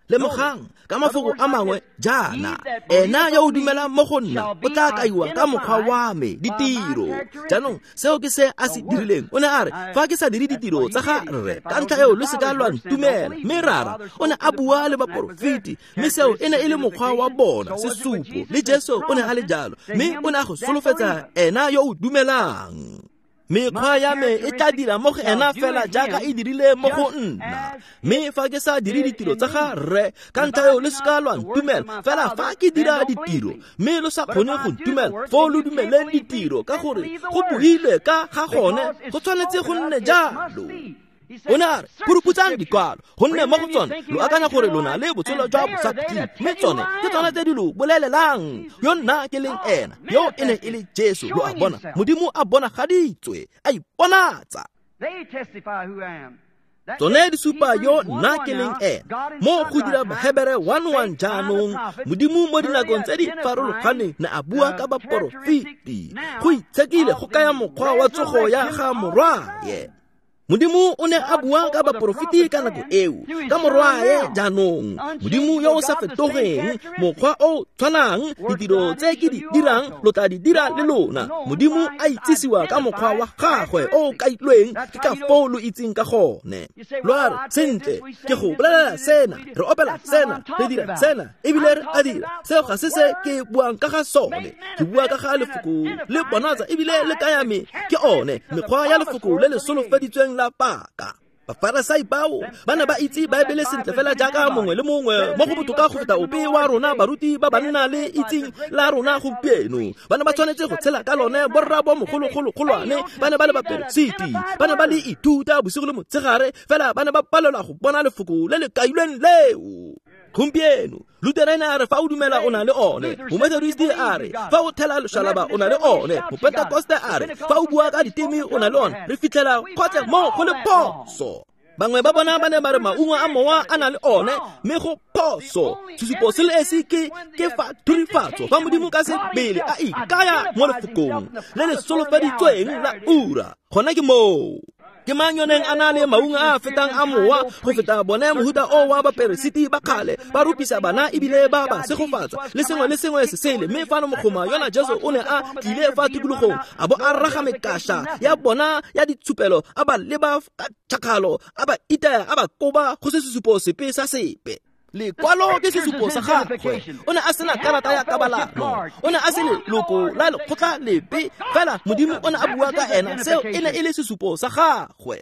Lemogang, ka mafoko a mangwe jaana, ena yo o dumelang mo go nna o tla kaiwa ka mokgwa wa me, ditiro. Jaanong seo ke se a se dirileng. O ne a re, fa ke sa dire ditiro tsa ga Rre, ka ntlha eo lo se ka lwa ntumela. Mme Rara o ne a bua le baporofeti, mme seo e ne e le mokgwa wa bona, sesupo. Le Jesu o ne a le jalo, mme o ne a go solofetsa ena yo o dumelang. Mekgwa ya me e tla dira mo go ena fela jaaka e dirile mo go nna. Mme fa ke sa dire ditiro tsa ga Rre, ka ntlha eo le se ka lwa ntumela. Fela fa ke dira ditiro, mme lo sa kgone go ntumela, foo lo dumeleng ditiro, ka gore go builwe ka ga gone, go tshwanetse go nne jalo. O ne a re, phuruputsang dikwalo, gonne mo go tsone lo akanya gore lo na le botshelo jwa bosakhutleng, mme tsone ke tsone tse di lo bolelelang yo nna ke leng ena. Yo e ne e le Jesu, lo a bona, Modimo a bonagaditswe, a iponatsa. Tsone di supa yo nna ke leng ena. Mo go dira Bahebere one one jaanong, Modimo mo dinakong tse di farologaneng ne a bua ka baporofeti. Go itshekile go kaya mokgwa wa tsogo ya ga morwaye. Modimo o ne a bua ka baporofeti ka nako eo, ka morwae jaanong. Modimo yo o sa fetogeng, mokgwa o tshwanang, ditiro tse ke di dirang lo tla di dira le lona. Modimo a itsisiwa ka mokgwa wa gagwe o kailweng, ke ka foo lo itseng ka gone. Lo a re, sentle, ke go bolelela sena, re opela sena, re dira sena, ebile re a dira. Seo ga se se ke buang ka ga sone. Ke bua ka ga lefoko le bonatsa ebile le kaya me ke one mekgwa ya lefoko le le solofeditsweng la paka. Bafarasai bao ba ne ba itse Baebele sentle fela jaaka mongwe le mongwe mo go botoka go feta ope wa rona baruti ba banna le itseng la rona gompieno. Ba ne ba tshwanetse go tshela ka lone. Borra bo mogologologolwane ba ne ba le baperesiti, ba ne ba le ithuta bosigo le motshegare, fela ba ne ba palelwa go bona lefoko le le kailweng leo. Gompieno Lutheran a re fa o dumela o na le one, Momethodist a re fa o thela loshalaba o na le one, Mopentekoste a re fa o bua ka diteme o na le one. Re fitlhela kgotsa mo go le phoso. Bangwe ba bona ba ne ba re maungo a mowa a na le one, mme go phoso. Sesupo se le esi ke ke fa thurifatso, fa Modimo ka sebele a ikaya mo lefokong le le solofeditsweng la ura. Gona ke moo. Ke mang yo neng a na le maungo a fetang a mowa go feta bone mohuta o wa baperesiti ba kgale, ba rupisa bana ebile ba ba segofatsa le sengwe le sengwe se sele. Mme fano mogoma yona Jesu o ne a tlile fa tikologong, a bo a raga mekasha ya bona ya ditshupelo, a ba leba ka tšhakgalo, a ba itaya, a ba koba, go se sesupo sepe sa sepe. Lekwalo ke sesupo sa gagwe. O ne a sena karata ya kabalano, o ne a se leloko la lekgotla lepe, fela Modimo o ne a bua ka ena. Seo e ne e le sesupo sa gagwe.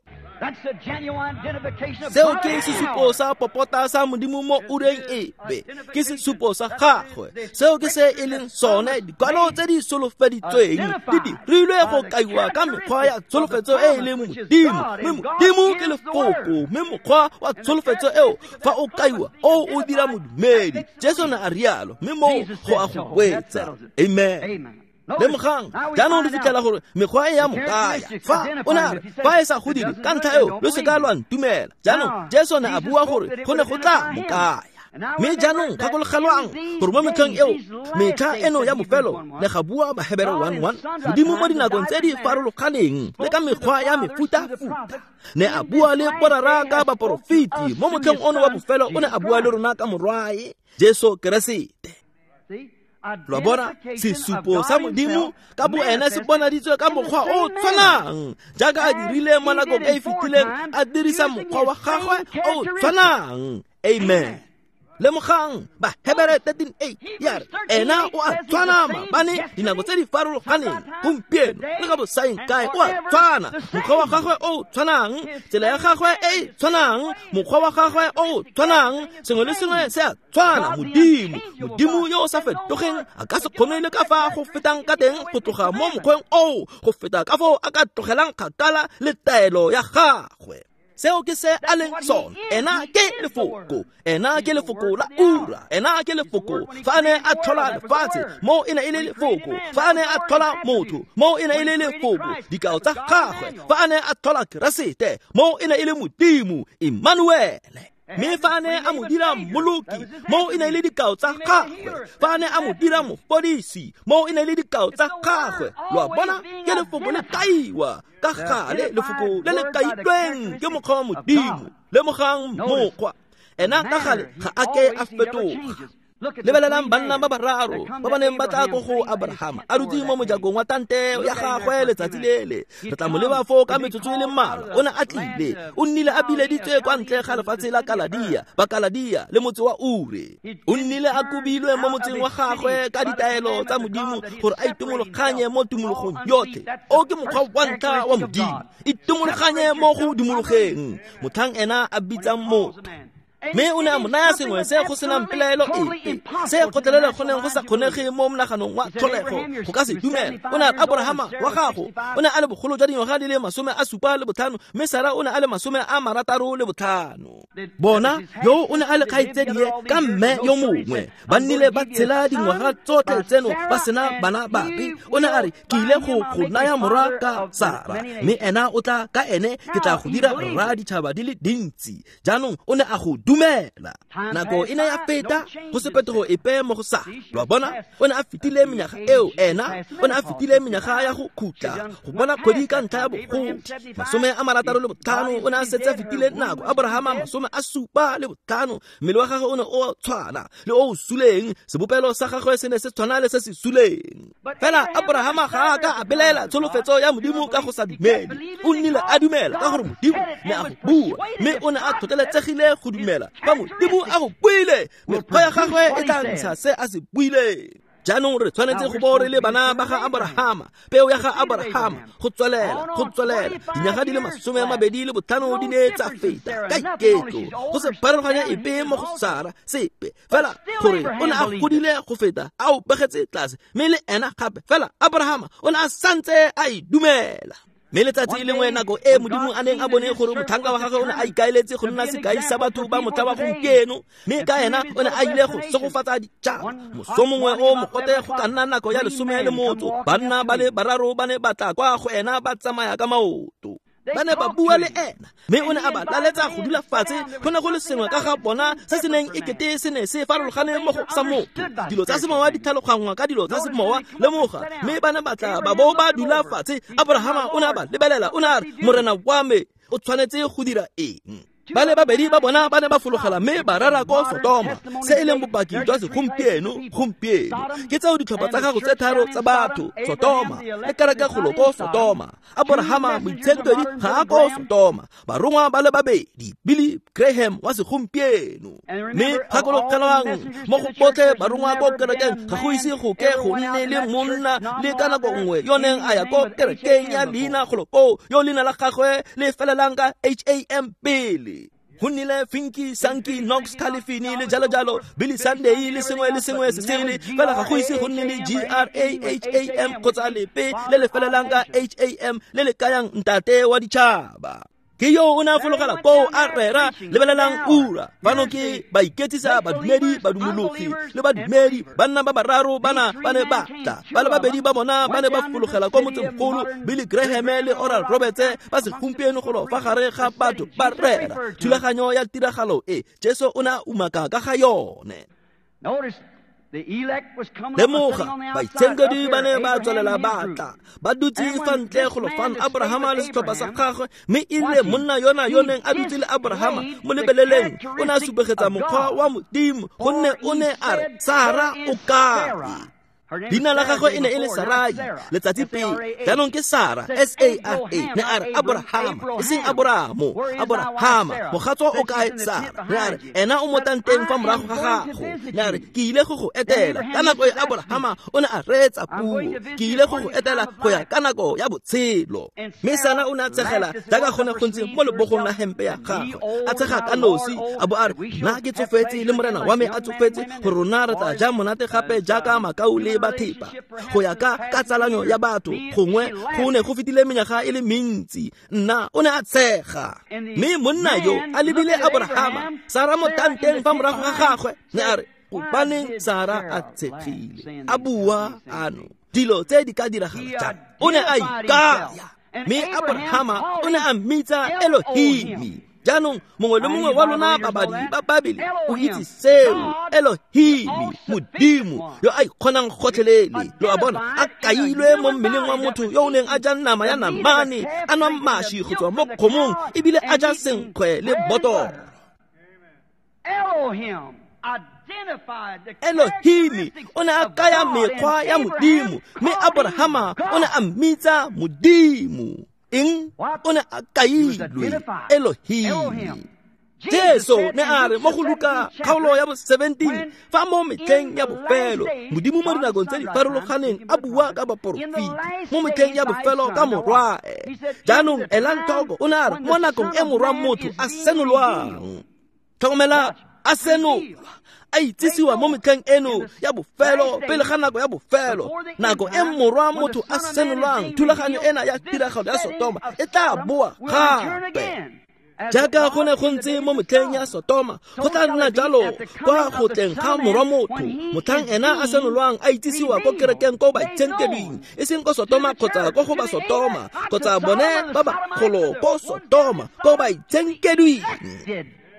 Seo ke sesupo sa popota sa Modimo mo ureng epe. Ke sesupo sa gagwe. Seo ke se e leng sone. Dikwalo tse di solofeditsweng di dirilwe go kaiwa ka mekgwa ya tsholofetso e e leng Modimo. Mme Modimo ke lefoko, mme mokgwa wa tsholofetso eo fa o kaiwa o o dira modumedi. Jesu ne a rialo, mme moo go a go wetsa. Amen. Lemogang, jaanong re fitlhela gore mekgwa e ya mo kaya. Fa o ne a re, fa e sa go dire ka ntlha eo lo se ka lwa ntumela. Jaanong Jesu ne a bua gore go ne go tla mo kaya. Mme jaanong gakologelwang gore mo metlheng eo, metlha eno ya bofelo, le ga bua Bahebere one one, Modimo mo dinakong tse di farologaneng le ka mekgwa ya mefutafuta ne a bua le borara ka baporofeti. Mo motlheng ono wa bofelo o ne a bua le rona ka morwae Jesu Keresete. Lo bona, sesupo sa Modimo ka boene se bonaditswe ka mokgwa o tshwanang jaaka a dirile mo nakong e e fetileng, a dirisa mokgwa wa gagwe o tshwanang. Amen. Lemogang Bahebere thirteen eight ya re ena o a tshwana maabane, dinako tse di farologaneng, gompieno le ka bosaeng kae o a tshwana. Mokgwa wa gagwe o tshwanang, tsela ya gagwe e e tshwanang, mokgwa wa gagwe o tshwanang, sengwe le sengwe se a tshwana. Modimo, Modimo yo o sa fetogeng a ka se kgone le ka fa go fetang ka teng go tloga mo mokgweng oo go feta ka foo a ka tlogelang kgakala le taelo ya gagwe. Seo ke se a leng sone. Ena ke lefoko, ena ke lefoko la ura, ena ke lefoko. Fa a ne a tlhola lefatshe, mo e ne e le lefoko. Fa a ne a tlhola motho, mo e ne e le lefoko. Dikao tsa gagwe, fa a ne a tlhola Keresete, mo e ne e le Modimo, Emmanuele. Mme fa a ne a mo dira mmoloki, mo e ne e le dikao tsa gagwe. Fa a ne a mo dira mofodisi, mo e ne e le dikao tsa gagwe. Lo a bona, ke lefoko le kaiwa ka gale, lefoko le le kailweng ke mokgwa wa Modimo. Lemogang mokgwa ena ka gale ga a ke a fetoga. Lebelelang banna ba bararo ba ba neng ba tla ko go Abrahama a dutse mo mojakong wa tante ya gagwe letsatsi lele. Re tla mo leba foo ka metsotso e le mmalwa. O ne a tlile, o nnile a bileditswe kwa ntle ga lefatshe la Kaladia, ba Kaladia le motse wa Ure. O nnile a kobilwe mo motseng wa gagwe ka ditaelo tsa Modimo gore a itumologanye mo tumologong yotlhe. O ke mokgwa wa ntlha wa Modimo, itumologanye mo go dumologeng motlhang ena a bitsang motho. Mme o ne a mo naya sengwe se go senang pelaelo epe, se kgotlelele go neng go sa kgonege mo monaganong wa tlholego go ka se dumela. O ne a re Abrahama wa gago o ne a le bogolo jwa dingwaga di le masome a supa le botlhano, mme Sara o ne a le masome a marataro le botlhano. Bona, yo o ne a le kgaitsedie ka mme yo mongwe, ba nnile ba tshela dingwaga tsotlhe tseno ba sena bana bape. O ne a re ke ile go go naya morwa ka Sara, mme ena o tla ka ene ke tla go dira rra ditšhaba di le dintsi. Jaanong o ne a go dumela. Nako e ne ya feta, go se phetogo epe mo go Sara. Lo a bona, o ne a fetile menyaga eo, ena o ne a fetile menyaga ya go khutla go bona kgwedi ka ntlha ya bogodi. Masome a marataro le botlhano o ne a setse a fetile nako. Abrahama masome a supa le botlhano, mmele wa gagwe o ne o tshwana le o o suleng, sebopelo sa gagwe se ne se tshwana le se se suleng. Fela Abrahama ga a ka a belaela tsholofetso ya Modimo ka go sa dumele. O nnile a dumela ka gore Modimo ne a go bua, mme o ne a tlhotlheletsegile go dumela. Fa Modimo a go buile, mekgwa ya gagwe e tla ntsha se a se buileng. Jaanong re tshwanetse go bo re le bana ba ga Abrahama, peo ya ga Abrahama, go tswelela, go tswelela. Dinyaga di le masome a mabedi le botlhano di ne tsa feta ka iketlo, go se pharologanya epe mo go Sara sepe. Fela gore o ne a godile go feta, a o begetse tlase, mme le ena gape. Fela Abrahama o ne a santse a e dumela. Mme letsatsi lengwe nako e Modimo a neng a bone gore motlhanka wa gagwe o ne a ikaeletse go nna sekai sa batho ba motlha wa gompieno, mme ka ena o ne a ile go segofatsa ditšhaba. Moso mongwe o mogote go ka nna nako ya lesome le motso, banna ba le bararo ba ne ba tla kwa go ena ba tsamaya ka maoto. Ba ne ba bua le ena, mme o ne a ba laletsa go dula fatshe. Go ne go le sengwe ka ga bona se se neng ekete se ne se farologane mo go sa motho. Dilo tsa semowa di tlhaloganngwa ka dilo tsa semowa, lemoga. Mme ba ne ba tla ba bo ba dula fatshe. Abrahama o ne a ba lebelela, o ne a re, Morena wa me o tshwanetse go dira eng? Ba le babedi ba bona ba ne ba fologela mme ba rera ko Sodoma, se e leng bopaki jwa segompieno gompieno. Ke tseo ditlhopha tsa gago tse tharo tsa batho, Sodoma le kereke golo ko Sodoma. Abrahama moitshenkedi ga a ko Sodoma. Barongwa ba le babedi, Billy Graham wa segompieno. Mme gakologelwang mo go botlhe barongwa ko kerekeng, ga go ise go ke go nne le monna le ka nako nngwe yo neng a ya ko kerekeng ya leina golo koo, yo leina la gagwe le felelang ka H A M pele. Go nnile Finki, Sanki, Knox, Califini le jalo jalo, Billy Sunday le sengwe le sengwe se sele. Fela ga go ise go nne le G R A H A M kgotsa lepe le le felelang ka H A M le le kayang ntate wa ditšhaba. Ke yo o ne a fologela koo a rera, lebelelang ura. Fano ke baiketsisa, badumedi, badumologi le badumedi, banna ba bararo bana ba ne ba tla. Ba le babedi ba bona ba ne ba fologela kwa motsemogolo, Billy Graham le Oral Roberts ba segompieno golo fa gare ga batho ba rera. Thulaganyo ya tiragalo e Jesu o ne a umaka ka ga yone. Lemoga, baitshenkedi ba ne ba tswelela ba tla, ba dutse fa ntle golo fano, Abrahama le setlhopha sa gagwe, mme e rile monna yona yo neng a dutse le Abrahama mo lebeleleng, o ne a supegetsa mokgwa wa Modimo, gonne o ne a re, Sara o kae? Leina la gagwe e ne e le Sarai letsatsi pele, jaanong ke Sara, S A R A. Ne a re Abrahama, e seng Aboramo, Abrahama, mogatso o kae Sara? Ne a re ena o mo tanteng fa morago ga gago. Ne a re ke ile go go etela. Ka nako e Abrahama o ne a reetsa puo, ke ile go go etela go ya ka nako ya botshelo. Mme Sara o ne a tshegela jaaka go ne go ntse mo lebogong la hempe ya gagwe, a tshega ka nosi, a bo a re, nna ke tsofetse le morena wa me a tsofetse, gore rona re tla ja monate gape jaaka makau le bathepa. Go ya ka ka tsalanyo ya batho, gongwe go ne go fetile menyaga e le mentsi. Nna o ne a tshega. Mme monna yo a lebile Abrahama, Sara mo tanteng fa morago ga gagwe, ne a re, gobaneng Sara a tshegile, a bua ano dilo tse di ka diragala jang? O ne a ikaya, mme Abrahama o ne a mmitsa Elohimi. Jaanong mongwe le mongwe wa lona babadi ba Babele o itse seo, Elohimi, Modimo yo a ikgonang gotlhelele. Lo a bona, a kailwe mo mmeleng wa motho yo o neng a ja nama ya namane, a nwa mashi go tswa mo kgomong, ebile a ja senkgwe le botoro. Elohimi o ne a kaya mekgwa ya Modimo, mme Abrahama o ne a mmitsa Modimo. Eng? O ne a kailwe Elohim. Jesu ne a re mo go Luka kgaolo ya bo seventeen, fa mo metlheng ya bofelo Modimo mo dinakong tse di farologaneng a bua ka baporofeti, mo metlheng ya bofelo ka morwae. Jaanong elang tlhoko, o ne a re mo nakong e morwa motho a senolwang. Tlhokomela, a senolwa, a itsisiwa mo metlheng eno ya bofelo, pele ga nako ya bofelo, nako e morwa motho a senolwang. Thulaganyo ena ya tiragalo ya Sotoma e tla boa gape. Jaaka go ne go ntse mo metlheng ya Sotoma, go tla nna jalo kwa go tleng ga morwa motho, motlhang ena a senolwang a itsisiwa ko kerekeng ko baitshenkedwing, e seng ko Sotoma kgotsa ko go ba Sotoma, kgotsa bone ba bagolo ko Sotoma, ko baitshenkedwing.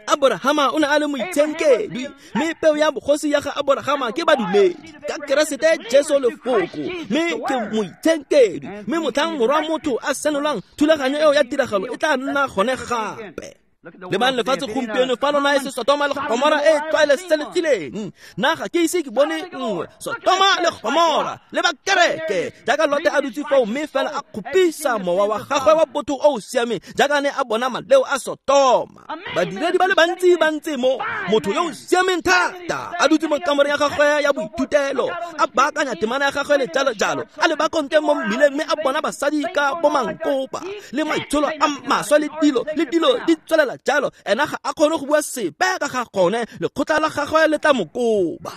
Abrahama o ne a le moitshenkedwi, mme peo ya bogosi ya ga Abrahama ke badumedi ka Keresete Jesu lefoko, mme ke moitshenkedwi. Mme motlhang morwa motho a senolwang, thulaganyo eo ya tiragalo e tla nna gone gape. Lebang lefatshe gompieno, fa lona e se Sotoma le Gomora e tlwaelesegileng. Nna ga ke ise ke bone nngwe Sotoma le Gomora le ba kereke jaaka Lote a dutse foo, mme fela a kgopisa mowa wa gagwe wa botho o o siameng jaaka ne a bona maleo a Sotoma. Badiredi ba le bantsi ba ntse mo, motho yo o siameng thata a dutse mo kamoreng ya gagwe ya boithutelo, a baakanya temana ya gagwe le jalo jalo, a leba konte mo mmileng, mme a bona basadi ka bomankopa le maitsholo a maswe le dilo le dilo di tswelela jalo. Ena ga a kgone go bua sepe ka ga gone, lekgotla la gagwe le tla mo koba.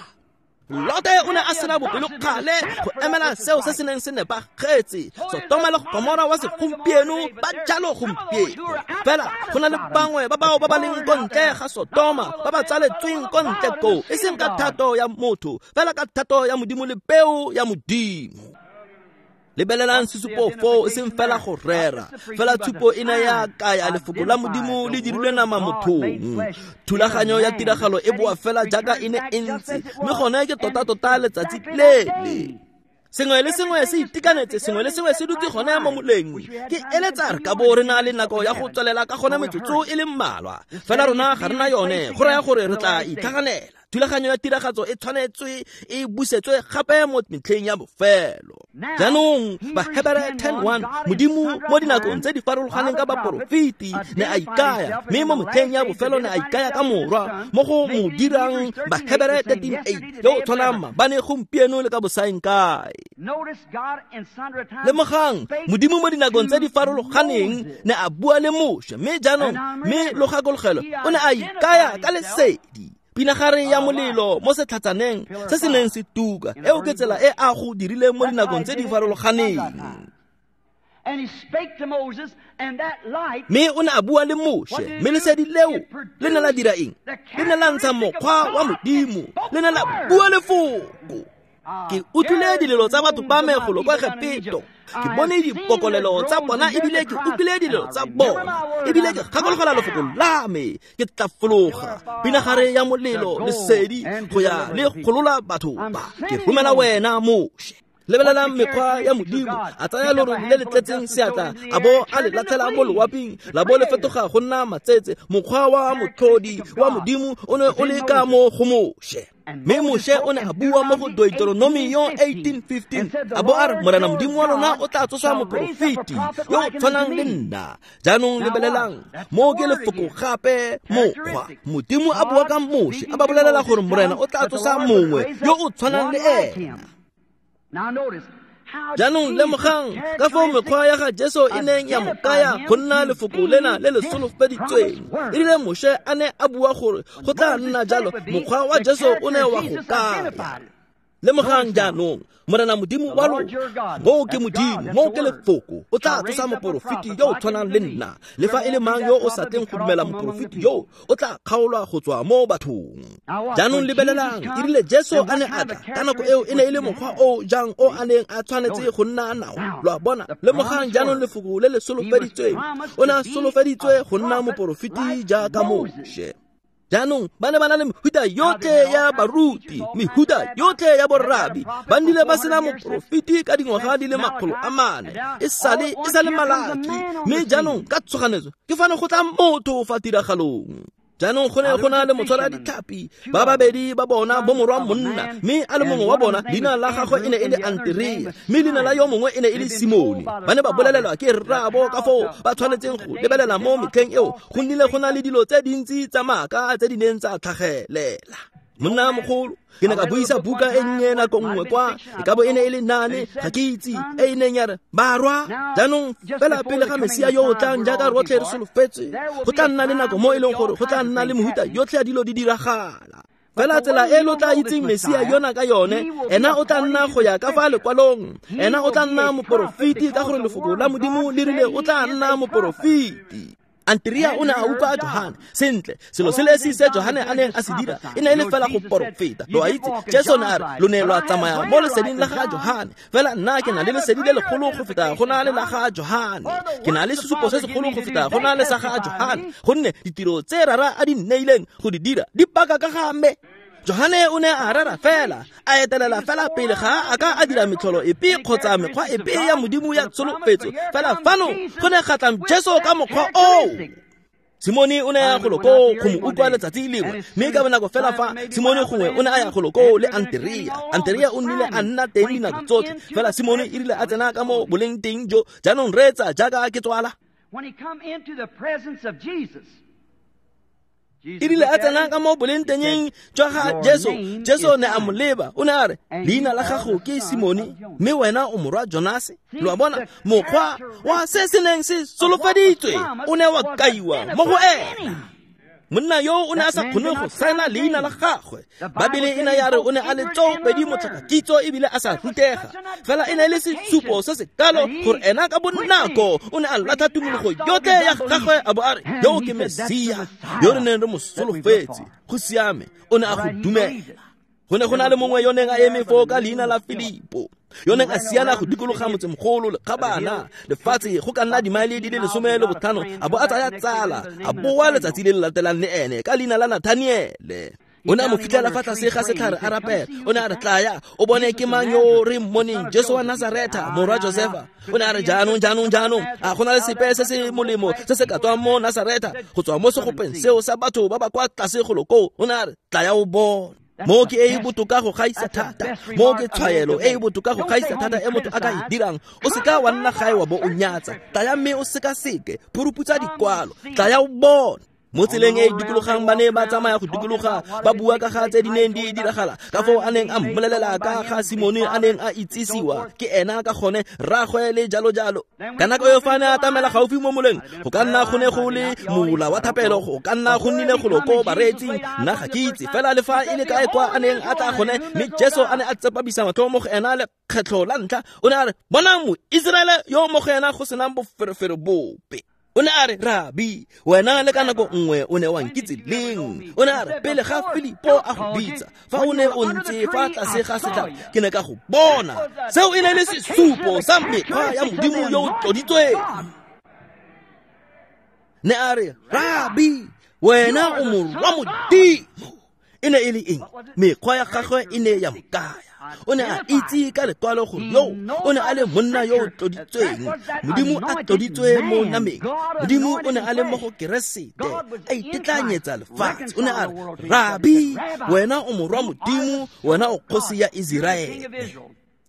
Lote o ne a sena bopelokgale go emela seo se se neng se nepagetse. Sotoma le Gomora wa segompieno ba jalo gompieno. Fela go na le bangwe ba bao ba ba leng ko ntle ga Sotoma, ba ba tsaletsweng ko ntle koo, e seng ka thato ya motho, fela ka thato ya Modimo le peo ya Modimo. Lebelelang sesupo foo, e seng fela go rera, fela tshupo e ne ya kaya lefoko la Modimo le dirilwe nama mothong. Thulaganyo ya tiragalo e boa fela jaaka e ne e ntse, mme gone ke tota-tota letsatsi lele. Sengwe le sengwe se itekanetse, sengwe le sengwe se dutse gone mo moleng. Ke eletsa re ka bo re na le nako ya go tswelela ka gone metsotso e le mmalwa, fela rona ga re na yone, go raya gore re tla itlhaganela. Thulaganyo ya tiragatso e tshwanetswe e busetswe gape mo metlheng ya bofelo. Jaanong Bahebere ten one, Modimo mo dinakong tse di farologaneng ka baporofeti ne a ikaya, mme mo metlheng ya bofelo ne a ikaya ka morwa, mo go mo dirang Bahebere thirteen eight, yo o tshwanang maabane, gompieno le ka bosaeng kae. Lemogang, Modimo mo dinakong tse di farologaneng ne a bua le Moshe, mme jaanong mme lo gakologelo o ne a ikaya ka lesedi, pinagare ya molelo mo setlhatsaneng se se neng se tuka. Eo ke tsela e a go dirileng mo dinakong tse di farologaneng. Mme o ne a bua le Moshe, mme lesedi leo le ne la dira eng? Le ne la ntsha mokgwa wa Modimo, le ne la bua lefoko. Ke utlwile dilelo tsa batho ba me golo kwa Egepeto, ke bone dipokolelo tsa bona ebile ke utlwile dilelo tsa bona, ebile ke gakologelwa lefoko la me. Ke tla fologa pinagare ya molelo lesedi go ya le golola batho ba. Ke romela wena Moshe. Lebelelang mekgwa ya Modimo, a tsaya lorole le le tletseng seatla, a bo a le latlhela mo loaping, la bo le fetoga go nna matsetse. Mokgwa wa motlhodi wa Modimo o ne o le ka mo go Moshe. Mme Moshe o ne a bua mo go Deuteronomio eighteen fifteen, a bo a re Morena Modimo wa lona o tla tsosa moporofeti yo o tshwanang le nna. Jaanong lebelelang, mo ke lefoko gape mokgwa. Modimo a bua ka Moshe, a ba bolelela gore Morena o tla tsosa mongwe yo o tshwanang le ena. Jaanong lemogang ka foo mekgwa ya ga Jesu e neng ya mo kaya go nna lefoko lena le le solofeditsweng. E rile Moshe a ne a bua gore go tla nna jalo, mokgwa wa Jesu o ne wa go kaya. Lemogang jaanong, Morena Modimo wa lona, moo ke Modimo, moo ke lefoko, o tla tsosa moporofeti yo o tshwanang le nna. Le fa e le mang yo o sa tleng go dumela moporofeti yo, o tla kgaolwa go tswa mo bathong. Jaanong lebelelang, e rile Jesu a ne a tla, ka nako eo e ne e le mokgwa o jang o a neng a tshwanetse go nna nao. Lo a bona? Lemogang jaanong lefoko le le solofeditsweng, o ne a solofeditswe go nna moporofeti jaaka Moshe. Jaanong ba ne ba na le mehuta yotlhe ya baruti, mehuta yotlhe ya borrabi, ba nnile ba sena moporofeti ka dingwaga di le makgolo a mane, e sale e sale Malaki. Mme jaanong ka tshoganetso ke fane go tla motho fa tiragalong. Jaanong go ne go na le motshwara ditlhapi ba babedi ba bona bo morwa monna, mme a le mongwe wa bona leina la gagwe e ne e le Anterea, mme leina la yo mongwe e ne e le Simone. Ba ne ba bolelelwa ke rraabo ka foo ba tshwanetseng go lebelela mo metlheng eo, go nnile go na le dilo tse dintsi tsa maaka tse di neng tsa tlhagelela. Monna mogolo, ke ne ka buisa buka e nnye nako nngwe kwa, e ka bo e ne e le nane, ga ke itse, e e neng ya re barwa. Jaanong fela pele ga Mesia yo o tlang jaaka rotlhe re solofetse, go tla nna le nako mo e leng gore go tla nna le mehuta yotlhe ya dilo di diragala. Fela tsela e lo tla itseng Mesia yona ka yone, ena o tla nna go ya ka fa lekwalong, ena o tla nna moporofeti ka gore lefoko la Modimo le rile o tla nna moporofeti. Anterea o ne a utlwa Johane. Sentle, selo se le se Johane a neng a se dira e ne e le fela go porofeta. Lo a itse, Jesu ne a re lo ne lwa tsamaya mo leseding la ga Johane, fela nna ke na le lesedi le legolo go feta go na le la ga Johane. Ke na le sesupo se segolo go feta go na le sa ga Johane, gonne ditiro tse Rara a di nneileng go di dira di paka ka ga me. Johane o ne a rera fela, a etelela fela pele ga a ka a dira metlholo epe kgotsa mekgwa epe ya Modimo ya tsholofetso. Fela fano go ne ga tla Jesu ka mokgwa oo. Simone o ne a ya golo koo go mo utlwa letsatsi lengwe, mme ka bonako fela fa Simone gongwe o ne a ya golo koo le Anterea. Anterea o nnile a nna teng dinako tsotlhe, fela Simone e rile a tsena ka mo boleng teng jo. Jaanong reetsa jaaka ke tswala. E rile a tsena ka mo boleng teng jwa ga Jesu, Jesu ne a mo leba, o ne a re leina la gago ke Simone, mme wena o morwa Jonase. Lo a bona, mokgwa wa se se neng se solofeditswe o ne wa kaiwa mo go ena. Monna yo o ne a sa kgone go saena leina la gagwe. Babele e ne ya re o ne a le tsopedi motlhakakitso ebile a sa rutega, fela e ne e le sesupo se se kalo gore ena ka bonako o ne a latlha tumologo yotlhe ya gagwe, a bo a re yo ke Mesia yo re neng re mo solofetse. Go siame, o ne a go dumela. Go ne go na le mongwe yo neng a eme foo ka leina la Filipo, yo neng a siana go dikologa motsemogolo lekgabana lefatshe go ka nna dimaele di le lesome le botlhano, a bo a tsaya tsala, a boa letsatsi le le latelang le ene ka leina la Nathaniele. O ne a mo fitlhela fa tlase ga setlhare a rapela. O ne a re tlaya o bone ke mang yo re mmoneng, Jesu wa Nazaretha morwa Josefa. O ne a re jaanong jaanong jaanong a go na le sepe se se molemo se se ka tswang mo Nazaretha go tswa mo segopeng seo sa batho ba ba kwa tlase golo koo. O ne a re tlaya o bone. Mo ke e e botoka go gaisa thata, mo ke tshwaelo e e botoka go gaisa thata e motho a ka e dirang. O seka wa nna gae wa bo o nyatsa, tlaya mme o sekaseke, phuruputsa dikwalo, tlaya o bone. Mo tseleng e e dikologang ba ne ba tsamaya go dikologa ba bua ka ga tse di neng di diragala ka foo a neng a mmolelela ka ga Simone a neng a itsisiwa ke ena ka gone rraagwe le jalo jalo. Ka nako eo fa a ne a atamela gaufi mo moleng, go ka nna go ne go le mola wa thapelo, go ka nna go nnile golo ko bareetsing, nna ga ke itse fela le fa e le kae kwa a neng a tla gone. Mme Jesu a ne a tsepamisa matlho mo go ena lekgetlho la ntlha, o ne a re, bonang Moiseraele yo mo go ena go senang boferefere bope. O ne a re, Rabi, wena le ka nako nngwe o ne wa nkitse leng? O ne a re, pele ga Filipo a go bitsa, fa o ne o ntse fa tlase ga setlhare, ke ne ka go bona. Seo e ne le sesupo sa mekgwa ya Modimo yo o tloditsweng. Ne a re, Rabi, wena o morwa Modimo. E ne e le eng? Mekgwa ya gagwe e ne ya mo kaya. O ne a itse ka lekwalo gore yo o ne a le monna yo o tloditsweng, Modimo a tloditswe mo nameng. Modimo o ne a le mo go Keresete, a itetlanyetsa lefatshe. O ne a re, Rabi, wena o morwa Modimo, wena o kgosi ya Iseraele.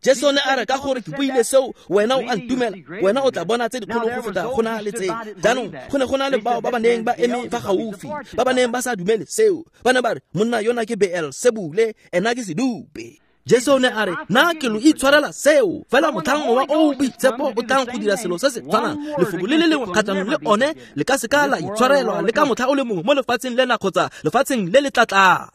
Jesu ne a re, ka gore ke buile seo, wena o a ntumela, wena o tla bona tse dikgolo go feta go na le tse. Jaanong go ne go na le bao ba ba neng ba eme fa gaufi, ba ba neng ba sa dumele seo. Ba ne ba re, monna yona ke Beelsebule, ena ke sedupe. Jesu ne a re, nna ke lo itshwarela seo, fela motlhang wa o boitshepo o tlang go dira selo se se tshwanang, lefoko le le lengwe kgatlhanong le one le ka se ka la itshwarelwa le ka motlha o le mongwe mo lefatsheng lena kgotsa lefatsheng le le tlatlang.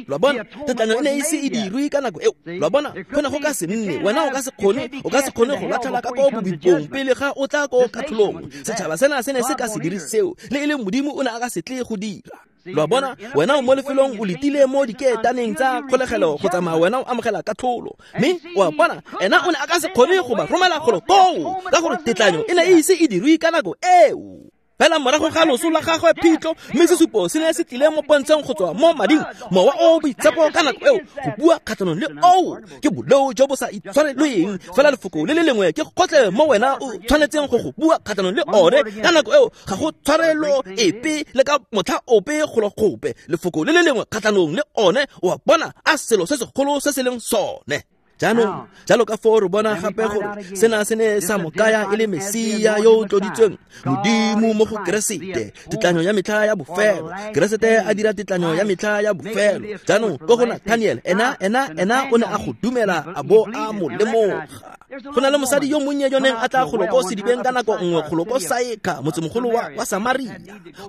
Lo a bona, tetlanyo e ne e ise e dirwe ka nako eo. Lo a bona, go ne go ka se nne, wena o ka se kgone, o ka se kgone go latlhela ka ko bobipong pele ga o tla ko katlholong. Setšhaba sena se ne se ka se dire seo, le e leng Modimo o ne a ka se tle go dira. Lo a bona, wena o mo lefelong o letile mo dikeetaneng tsa kgolegelo go tsamaya wena o amogela katlholo. Mme o a bona, ena o ne a ka se kgone go ba romela golo koo, ka gore tetlanyo e ne e ise e dirwe ka nako eo. Fela morago ga loso la gagwe phitlho, mme sesupo se ne se tlile mo pontsheng go tswa mo mading, mowa o boitshepo ka nako eo go bua kgatlhanong le oo ke boleo jo bo sa itshwarelweng. Fela lefoko le le lengwe ke gotlhe mo wena o tshwanetseng go go bua kgatlhanong le one ka nako eo, ga go tshwarelo epe le ka motlha ope golo gope. Lefoko le le lengwe kgatlhanong le one, o a bona a selo se segolo se se leng sone. Jaanong jalo ka foo re bona gape gore sena se ne sa mo kaya e le Mesia yo o tloditsweng, Modimo mo go Keresete, tetlanyo ya metlha ya bofelo. Keresete a dira tetlanyo ya metlha ya bofelo. Jaanong ko go Nathaniel, ena ena ena o ne a go dumela a bo a mo lemoga. Go na le mosadi yo monnye yo neng a tla golo ko sedibeng ka nako nngwe golo ko Saeka, motsemogolo wa, wa Samaria.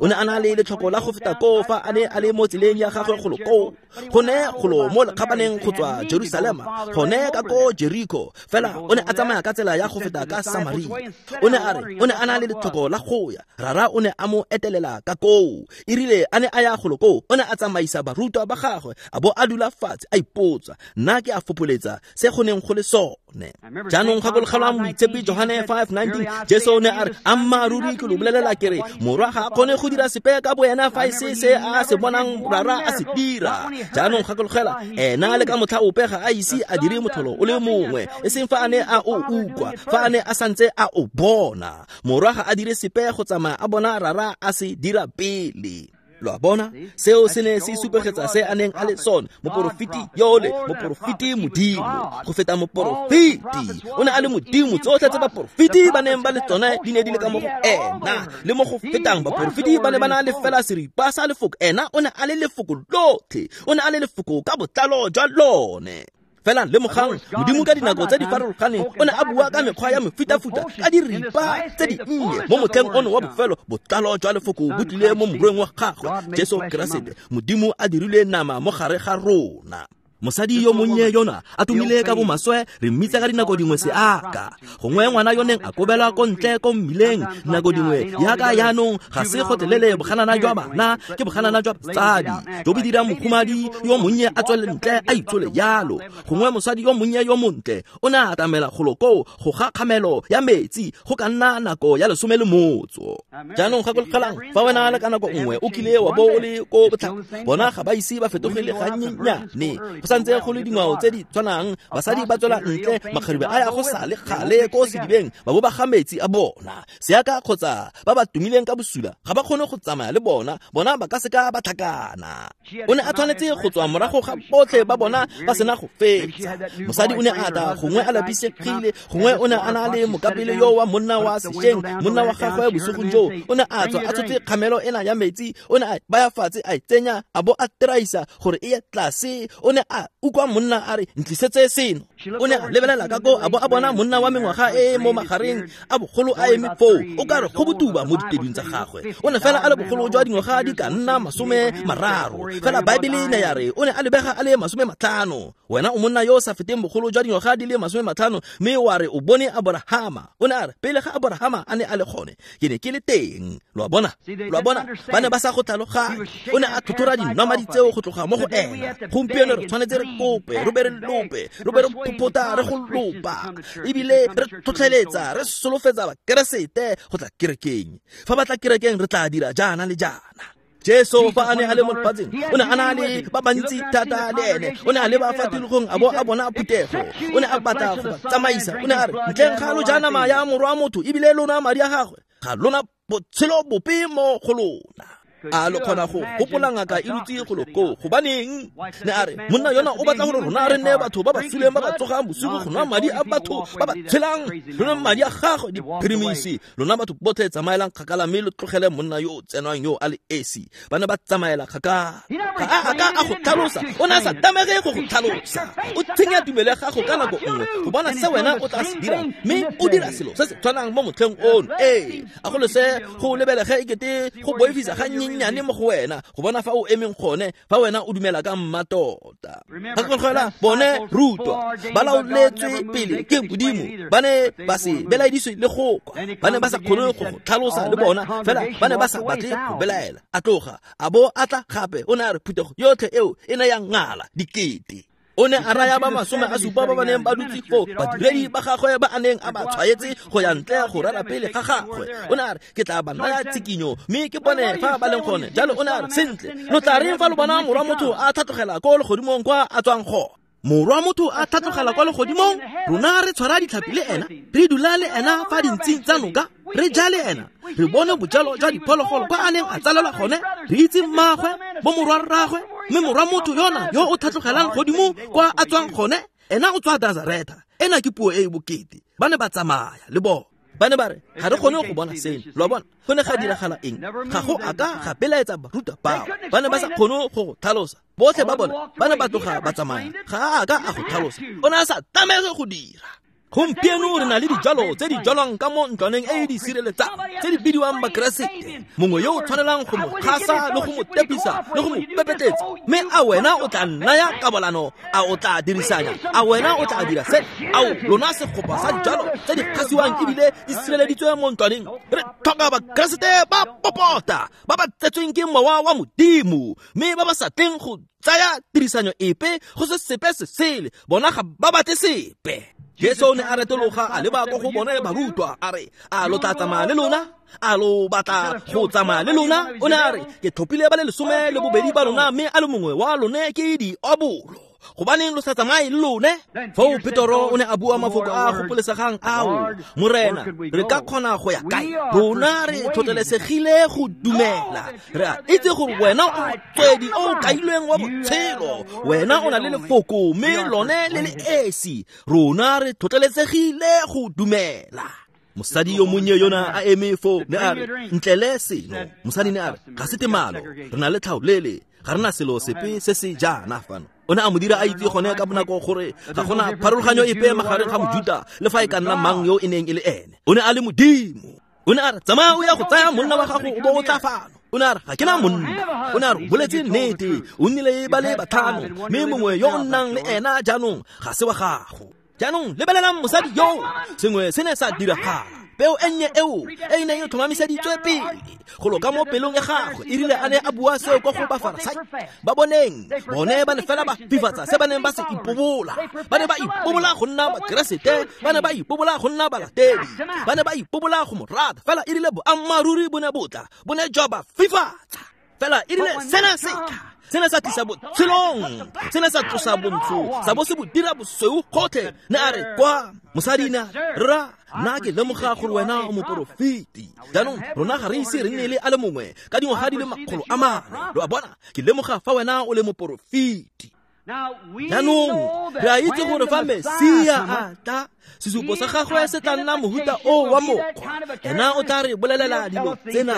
O ne a na le letlhoko la go feta koo fa a ne a le mo tseleng ya gagwe golo koo, go ne golo mo lekgabaneng go tswa Jerusalema, gone ka ko Jericho. Fela o ne a tsamaya ka tsela ya go feta ka Samaria. O ne a re o ne a na le letlhoko la go ya, Rara o ne a mo etelela ka koo. E rile a ne a ya golo koo, o ne a tsamaisa barutwa ba gagwe, a bo a dula fatshe a ipotsa, nna ke a fopoletsa se go neng go le sone. Jaanong gakologelwang moitshepi Johane five nineteen, Jesu ne a re, ammaaruri ke lo bolelela ke re, morwa ga a kgone go dira sepe ka boena fa e se se a se bonang Rara a se dira. Jaanong gakologela, ena le ka motlha ope ga a ise a dire motlholo o le mongwe, e seng fa a ne a o utlwa, fa a ne a santse a o bona. Morwa ga a dire sepe go tsamaya a bona Rara a se dira pele. Lo a bona, seo se ne se supegetsa se a neng a le sone, moporofeti yole, moporofeti Modimo, go feta moporofeti. O ne a le Modimo, tsotlhe tse baporofeti ba neng ba le tsone di ne di le ka mo go ena, le mo go fetang baporofeti ba ne ba na le fela seripa sa lefoko, ena o ne a le lefoko lotlhe, o ne a le lefoko ka botlalo jwa lone. Fela lemogang, Modimo ka dinako tse di farologaneng o ne a bua ka mekgwa ya mefutafuta, ka diripa tse di nnye. Mo motlheng ono wa bofelo, botlalo jwa lefoko bo tlile mo morweng wa gagwe, Jesu Keresete. Modimo a dirile nama mo gare ga rona. Mosadi yo monnye yona a tumile ka bomaswe, re mmitsa ka dinako dingwe seaka. Gongwe ngwana yo neng a kobelwa ko ntle ko mmileng dinako dingwe, yaka yaanong ga se gotlhelele boganana jwa bana, ke boganana jwa batsadi jo bo dirang mohumadi yo monnye a tswele ntle a itsole yalo. Gongwe mosadi yo monnye yo montle o ne a atamela golo koo go ga kgamelo ya metsi go ka nna nako ya lesome le motso. Jaanong gakologelang, fa wena le ka nako nngwe o kile wa bo o le ko botlhaba, bona ga ba ise ba fetogele gannyenyane. santse go le dingwao tse di tshwanang, basadi ba tswela ntle, makgarebe a ya go sa le kgale ko sedibeng, ba bo ba ga metsi a bona. Seaka kgotsa ba ba tumileng ka bosula ga ba kgone go tsamaya le bona, bona ba ka seka ba tlhakana. O ne a tshwanetse go tswa morago ga botlhe ba bona ba sena go fetsa. Mosadi o ne a tla gongwe a lapisegile, gongwe o ne a na le mokapele yo wa monna wa sešweng, monna wa gagwe bosigong joo. O ne a tswa a tshotse kgamelo ena ya metsi, o ne a baya fatshe a e tsenya, a bo a teraisa gore e ye tlase. O ne a utlwa monna a re, ntlisetse seno. O ne a lebelela ka ko a bo a bona monna wa mengwaga e e mo magareng a bogolo a eme foo, o ka re go botuba mo ditedung tsa gagwe. O ne fela a le bogolo jwa dingwaga di ka nna masome mararo, fela Baebele ne ya re o ne a lebega a le masome matlhano. Wena o monna yo o sa feteng bogolo jwa dingwaga di le masome matlhano, mme wa re o bone Aborahama. O ne a re pele ga Aborahama a ne a le gone, ke ne ke le teng. Lo a bona, lo a bona, ba ne ba sa go tlhaloganye. O ne a tlhotlhora dinomadi tseo go tloga mo go ena. Gompieno re tshwanetse re kope, re be re lope, re be re phopota, re go lopa, ebile re tlhotlheletsa, re solofetsa Bakeresete go tla kerekeng. Fa ba tla kerekeng re tla dira jaana le jaana. Jesu fa a ne a le mo lefatsheng, o ne a na le ba bantsi thata le ene. O ne a leba fa tikologong a bo a bona phuthego. O ne a batla go ba tsamaisa. O ne a re, ntleng ga lo ja nama ya morwa motho ebile lona madi a gagwe, ga lona botshelo bope mo go lona. A lo kgona go gopola ngaka e dutse go lo koo? Gobaneng? Ne a re, monna yona o batla gore rona re nne batho ba ba suleng ba ba tsogang bosigo go nwa madi a batho ba ba tshelang, re nwe madi a gagwe diphirimisi. Lona batho botlhe tsamaelang kgakala mme lo tlogele monna yo o tsenwang yo a le esi. Ba ne ba tsamaela kgakala. Ga a ka a go tlhalosa, o ne a sa tlamege go go tlhalosa. O tsenya tumelo ya gago ka nako nngwe go bona se wena o tla se dirang, mme o dira selo se se tshwanang mo motlheng ono. Ee, a go lese go lebelege ekete go boifisa ga nnyane mo go wena go bona fa o emeng gone, fa wena o dumela ka mmatota. Gakologelwa bone rutwa ba laoletswe pele ke Modimo, ba ne ba se belaediswe le go kwa, ba ne ba sa kgone go go tlhalosa le bona, fela ba ne ba sa batle go belaela. A tloga a bo a tla gape. O ne a re phuthego yotlhe eo e ne ya ngala dikete. O ne a raya ba masome a supa ba ba neng ba dutse foo, badiredi ba gagwe ba a neng a ba tshwaetse go ya ntle go rera pele ga gagwe. O ne a re, ke tla ba naya tshikinyo mme ke bone fa ba leng gone. Jalo o ne a re, sentle, lo tla reng fa lo bona morwa motho a tlhatlogela ko legodimong kwa a tswang gone? Morwa motho a tlhatlogela kwa legodimong, rona re tshwara ditlhapi le ena, re dula le ena fa dintsing tsa noka, re ja le ena, re bone bojalo jwa diphologolo kwa a neng a tsalelwa gone, re itse mmaagwe, bo morwa rraagwe, mme morwa motho yona yo o tlhatlogelang godimo kwa a tswang gone, ena o tswa Nazareta. Ena ke puo e e bokete. Ba ne ba tsamaya le bona. Ba ne ba re, ga re kgone go bona seno. Lo a bona, go ne ga diragala eng? Ga go a ka ga belaetsa barutwa bao. Ba ne ba sa kgone go go tlhalosa. Botlhe ba bona ba ne ba tloga ba tsamaya. Ga a ka a go tlhalosa. O ne a sa tlamege go dira. Gompieno re na le dijalo tse di jalwang ka mo ntlwaneng e e di sireletsang tse di bidiwang Bakeresete. Mongwe yo o tshwanelang go mo kgasa le go mo tepisa le go mo pepetletsa. Mme a wena o tla naya kabalano? A o tla dirisanya? A wena o tla dira se? Ao lona segopa sa dijalo tse di kgasiwang ebile di sireleditswe mo ntlwaneng. Re tlhoka Bakeresete ba popota, ba ba tsetsweng ke mowa wa Modimo, mme ba ba sa tleng go tsaya tirisanyo epe go se sepe se sele. Bona ga ba batle sepe. Jesu o ne a retologa a leba ko go bone barutwa, a re, a lo tla tsamaya le lona? A lo batla go tsamaya le lona? O ne a re, ke tlhophile ba le lesome le bobedi ba lona, mme a le mongwe wa lone ke diabolo. Gobaneng lo sa tsamaye le lone? Foo Petoro o ne a bua mafoko a a gopolesegang ao, Morena, re ka kgona go ya kae? Rona re tlhotlhelesegile go dumela. Re a itse gore wena o motswedi o o kailweng wa botshelo. Wena o na le lefoko mme lone le le esi. Rona re tlhotlhelesegile go dumela. Mosadi yo monnye yona a eme foo ne a re, ntlele seno. Mosadi ne a re, ga se temalo, re na le tlhaolele, ga re na selo sepe se se jaana fano. O ne a mo dira a itse gone ka bonako gore ga gona pharologanyo epe magareng ga Mojuta le fa e ka nna mang yo e neng e le ene. O ne a le Modimo. O ne a re, tsamaya o ya go tsaya monna wa gago o bo o tla fano. O ne a re, ga ke na monna. O ne a re, o boletse nnete, o nnile ba le batlhano, mme mongwe yo o nnang le ena jaanong ga se wa gago. Jaanong lebelelang mosadi yo, sengwe se ne sa diragala. Peo e nnye eo e e neng e tlhomamiseditswe pele go loka mo pelong ya gagwe, e rile a ne a bua seo kwa go Bafarasai. Ba boneng, bone ba ne fela ba fifatsa se ba neng ba se ipobola. Ba ne ba ipobola go nna Bakeresete, ba ne ba ipobola go nna balatedi, ba ne ba ipobola go mo rata. Fela e rile boammaaruri bo ne bo tla, bo ne jwa ba fifatsa. Fela e rile sena se tla, Se ne sa tlisa botshelong, se ne sa tlosa bontsho, sa bo se bo dira bosweu gotlhe. Ne a re kwa mosadi ne ra nna ke lemoga gore wena o moporofeti. Jaanong rona ga re ise re nne le a le mongwe ka dingwaga di le makgolo a mane. Lo a bona, ke lemoga fa wena o le moporofeti. Jaanong re a itse gore fa Mesia a tla, sesupo sa gagwe se tla nna mohuta o wa mokgwa. Ena o tla re bolelela dilo tsena.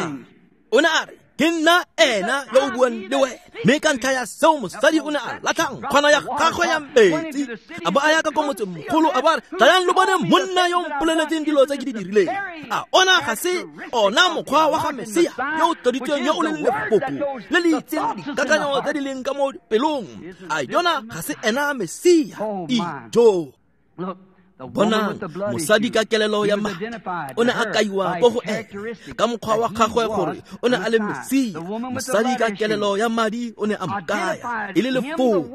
O ne a re, ke nna ena yo o buang le wena. Mme ka ntlha ya seo mosadi o ne a latlha nkgwana ya gagwe ya metsi, a bo a ya ka ko motsemogolo, a bo a re, tlayang lo bone monna yo o mpoleletseng dilo tse ke di dirileng. A ona ga se ona mokgwa wa ga Mesia yo o tloditsweng, yo o leng lefoko le le itseng dikakanyo tse di leng ka mo pelong? A yona ga se ena Mesia? Ijo. Bonang, mosadi ka kelelo ya madi o ne a kaiwa ko go ene ka mokgwa wa gagwe gore o ne a le Mesia. Mosadi ka kelelo ya madi o ne a mo kaya e le lefoko.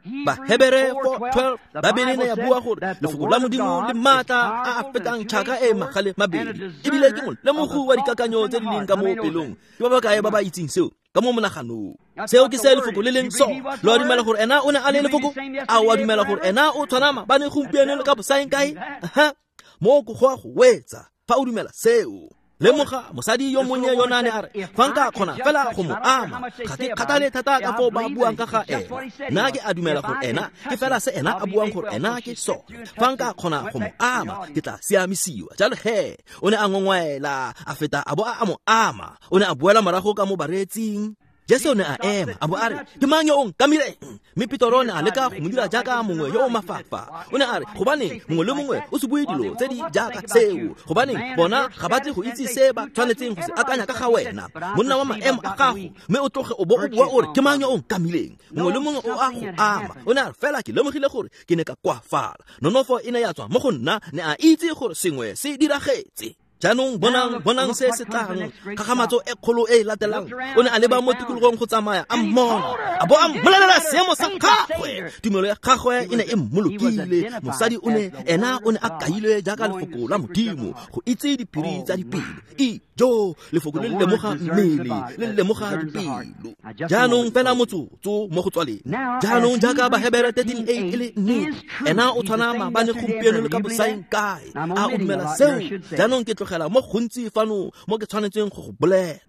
Bahebere four twelve, Babele ne ya bua gore lefoko la Modimo le maatla a a fetang tšhaka e magale mabedi, ebile ke molemogi wa dikakanyo tse di leng ka mo pelong. Ke ba ba kae ba ba itseng seo ka mo monaganong? Seo ke se lefoko le leng sone. Lo a dumela gore ena o ne a le lefoko? A o a dumela gore ena o tshwana maabane, gompieno le ka bosaeng kae? Aha, mo go go a go wetsa fa o dumela seo. Lemoga mosadi yo monnye yona ne a re, fa nka kgona fela go mo ama, ga ke kgathale thata ka foo ba buang ka ga ena. Nna ke a dumela gore ena ke fela se ena a buang gore ena ke sone. Fa nka kgona go mo ama, ke tla siamisiwa. Jalo he, o ne a ngongwaela, a feta a bo a mo ama. O ne a boela morago ka mo bareetsing. Jesu ne a ema, a bo a re, ke mang yo o nkamileng? Mme Petro ne a leka go mo dira jaaka mongwe yo o mafafa. O ne a re, gobaneng mongwe le mongwe o se bue dilo tse di jaaka seo? Gobaneng bona ga ba tle go itse se ba tshwanetseng go se akanya ka ga wena, monna wa maemo a gago, mme o tloge o bo o bua o re, ke mang yo o nkamileng? Mongwe le mongwe o a go ama. O ne a re, fela ke lemogile gore ke ne ka koafala. Nonofo e ne ya tswa mo go nna, ne a itse gore sengwe se diragetse. Jaanong bonang, bonang se se tlang, kgakgamatso e kgolo e e latelang. O ne a leba mo tikologong go tsamaya, a mmona, a bo a mmolelela seemo sa gagwe. Tumelo ya gagwe e ne e mmolokile. Mosadi o ne, ena o ne a kailwe jaaka lefoko la Modimo, go itse diphiri tsa dipelo. Ijo, lefoko le lemoga mmele, le lemoga dipelo. Jaanong fela motsotso mo go tswaleng. Jaanong jaaka Bahebere thirteen eight e le nnete, ena o tshwana maabane, gompieno le ka bosaeng kae. A o dumela seo? Jaanong ke tlogela mo gontsi fano mo ke tshwanetseng go go bolela.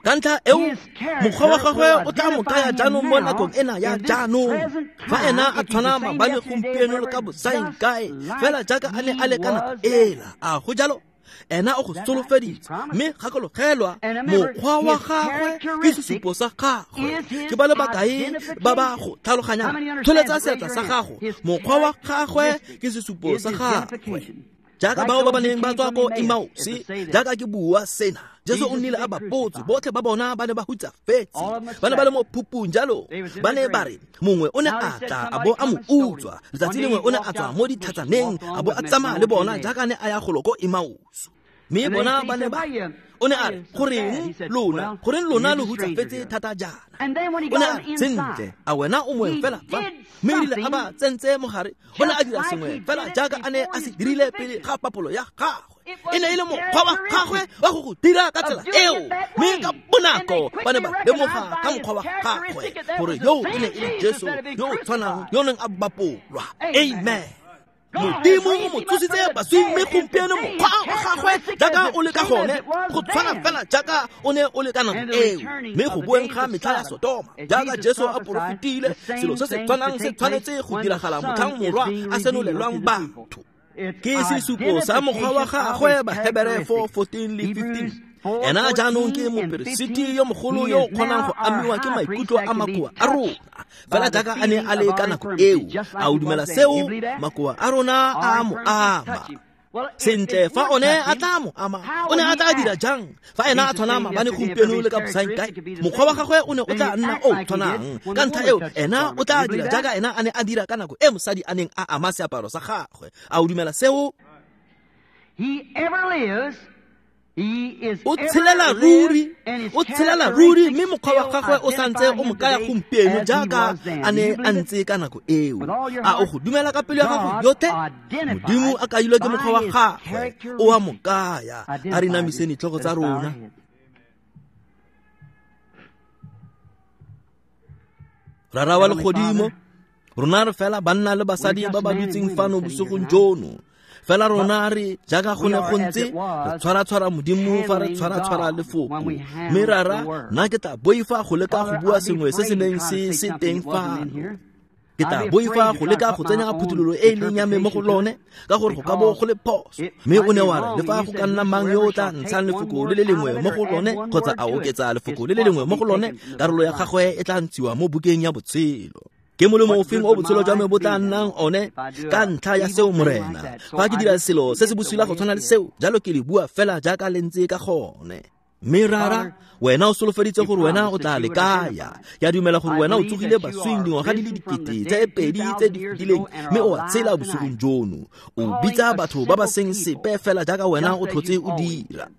Ka ntlha eo, mokgwa wa gagwe o tla mo kaya jaanong mo nakong ena ya jaanong. Fa ena a tshwana maabane, gompieno le ka bosaeng kae, fela jaaka a ne a le ka nako ela. A go jalo? Ena o go solofeditse, mme gakologelwa, mokgwa wa gagwe ke sesupo sa gagwe. Ke ba le bakae ba ba go tlhaloganyang? Tsholetsa seatla sa gago. Mokgwa wa gagwe ke sesupo sa gagwe. Jaaka bao ba ba neng ba tswa ko Emausi, jaaka ke bua sena, Jesu o nnile a ba botse, botlhe ba bona ba ne ba hutsafetse, ba ne ba le mo phupung jalo. Ba ne ba re, mongwe o ne a tla a bo a mo utswa. Letsatsi lengwe o ne a tswa mo ditlhatsaneng, a bo a tsamaya le bona jaaka ne a ya golo ko Emausi. Mme bona ba ne ba, o ne a re, goreng lona, goreng lona lo hutsafetse thata jaana? O ne a re, sentle, a wena o moeng fela fa? Mme erile a ba tsentse mogare, o ne a dira sengwe fela jaaka a ne a se dirile pele ga papolo ya gagwe. E ne e le mokgwa wa gagwe wa go go dira ka tsela eo. Mme ka bonako ba ne ba lemoga ka mokgwa wa gagwe gore yo e ne e le Jesu yo o tshwanang yo o neng a bapolwa. Amen. Modimo o mo tsositse baswing, mme gompieno mokgwa wa gagwe jaaka o le ka gone, go tshwana fela jaaka o ne o le ka nako eo. Mme go boeng ga metlha ya Sodoma, jaaka Jesu a porofetile, selo se se tshwanang se tshwanetse go diragala motlhang morwa a senolelwang batho. Ke sesupo sa mokgwa wa gagwe. Bahebere four fourteen le fifteen. Ena jaanong ke moperesiti yo mogolo yo o kgonang go amiwa ke maikutlo a makoa a rona, fela jaaka a ne a le ka nako eo. A o dumela seo? Makoa a rona a mo ama. Sentle, fa one a tla mo ama, o ne a tla dira jang? Fa ena a tshwana maabane, gompieno le ka bosaeng kae, mokgwa wa gagwe o ne o tla nna o tshwanang. Ka ntlha eo, ena o tla dira jaaka ena a ne a dira ka nako e mosadi a neng a ama seaparo sa gagwe. A o dumela seo? He ever lives. O tshelela ruri, o tshelela ruri, mme mokgwa wa gagwe o santse o mo kaya gompieno jaaka a ne a ntse ka nako eo. A o go dumela ka pelo ya gago yotlhe? Modimo a kailwe ke mokgwa wa gagwe, o a mo kaya. A re namiseng ditlhogo tsa rona. Rara wa legodimo, rona re fela banna le basadi ba ba dutseng fano bosigong jono. Fela rona re jaaka go ne go ntse re tshwara-tshwara Modimo fa re tshwara-tshwara lefoko. Mme rara, nna ke tla boifa go leka go bua sengwe se se neng se se teng fano. Ke tla boifa go leka go tsenya phuthololo e e leng ya me mo go lone, ka gore go ka bo go le phoso. Mme o ne wa re le fa go ka nna mang yo o tla ntshang lefoko le le lengwe mo go lone kgotsa a oketsa lefoko le le lengwe mo go lone, karolo ya gagwe e tla ntshiwa mo bukeng ya botshelo. Ke molemo ofeng o botshelo jwa me bo tla nnang one ka ntlha ya seo, Morena? Fa ke dira selo se se bosula go tshwana le seo, jalo ke le bua fela jaaka le ntse ka gone. Mme rara, wena o solofeditse gore wena o tla le kaya. Ke a dumela gore wena o tsogile baswing dingwaga di le dikete tse pedi tse di fetileng, mme o a tshela bosigong jono. O bitsa batho ba ba seng sepe fela jaaka wena o tlhotse o dira.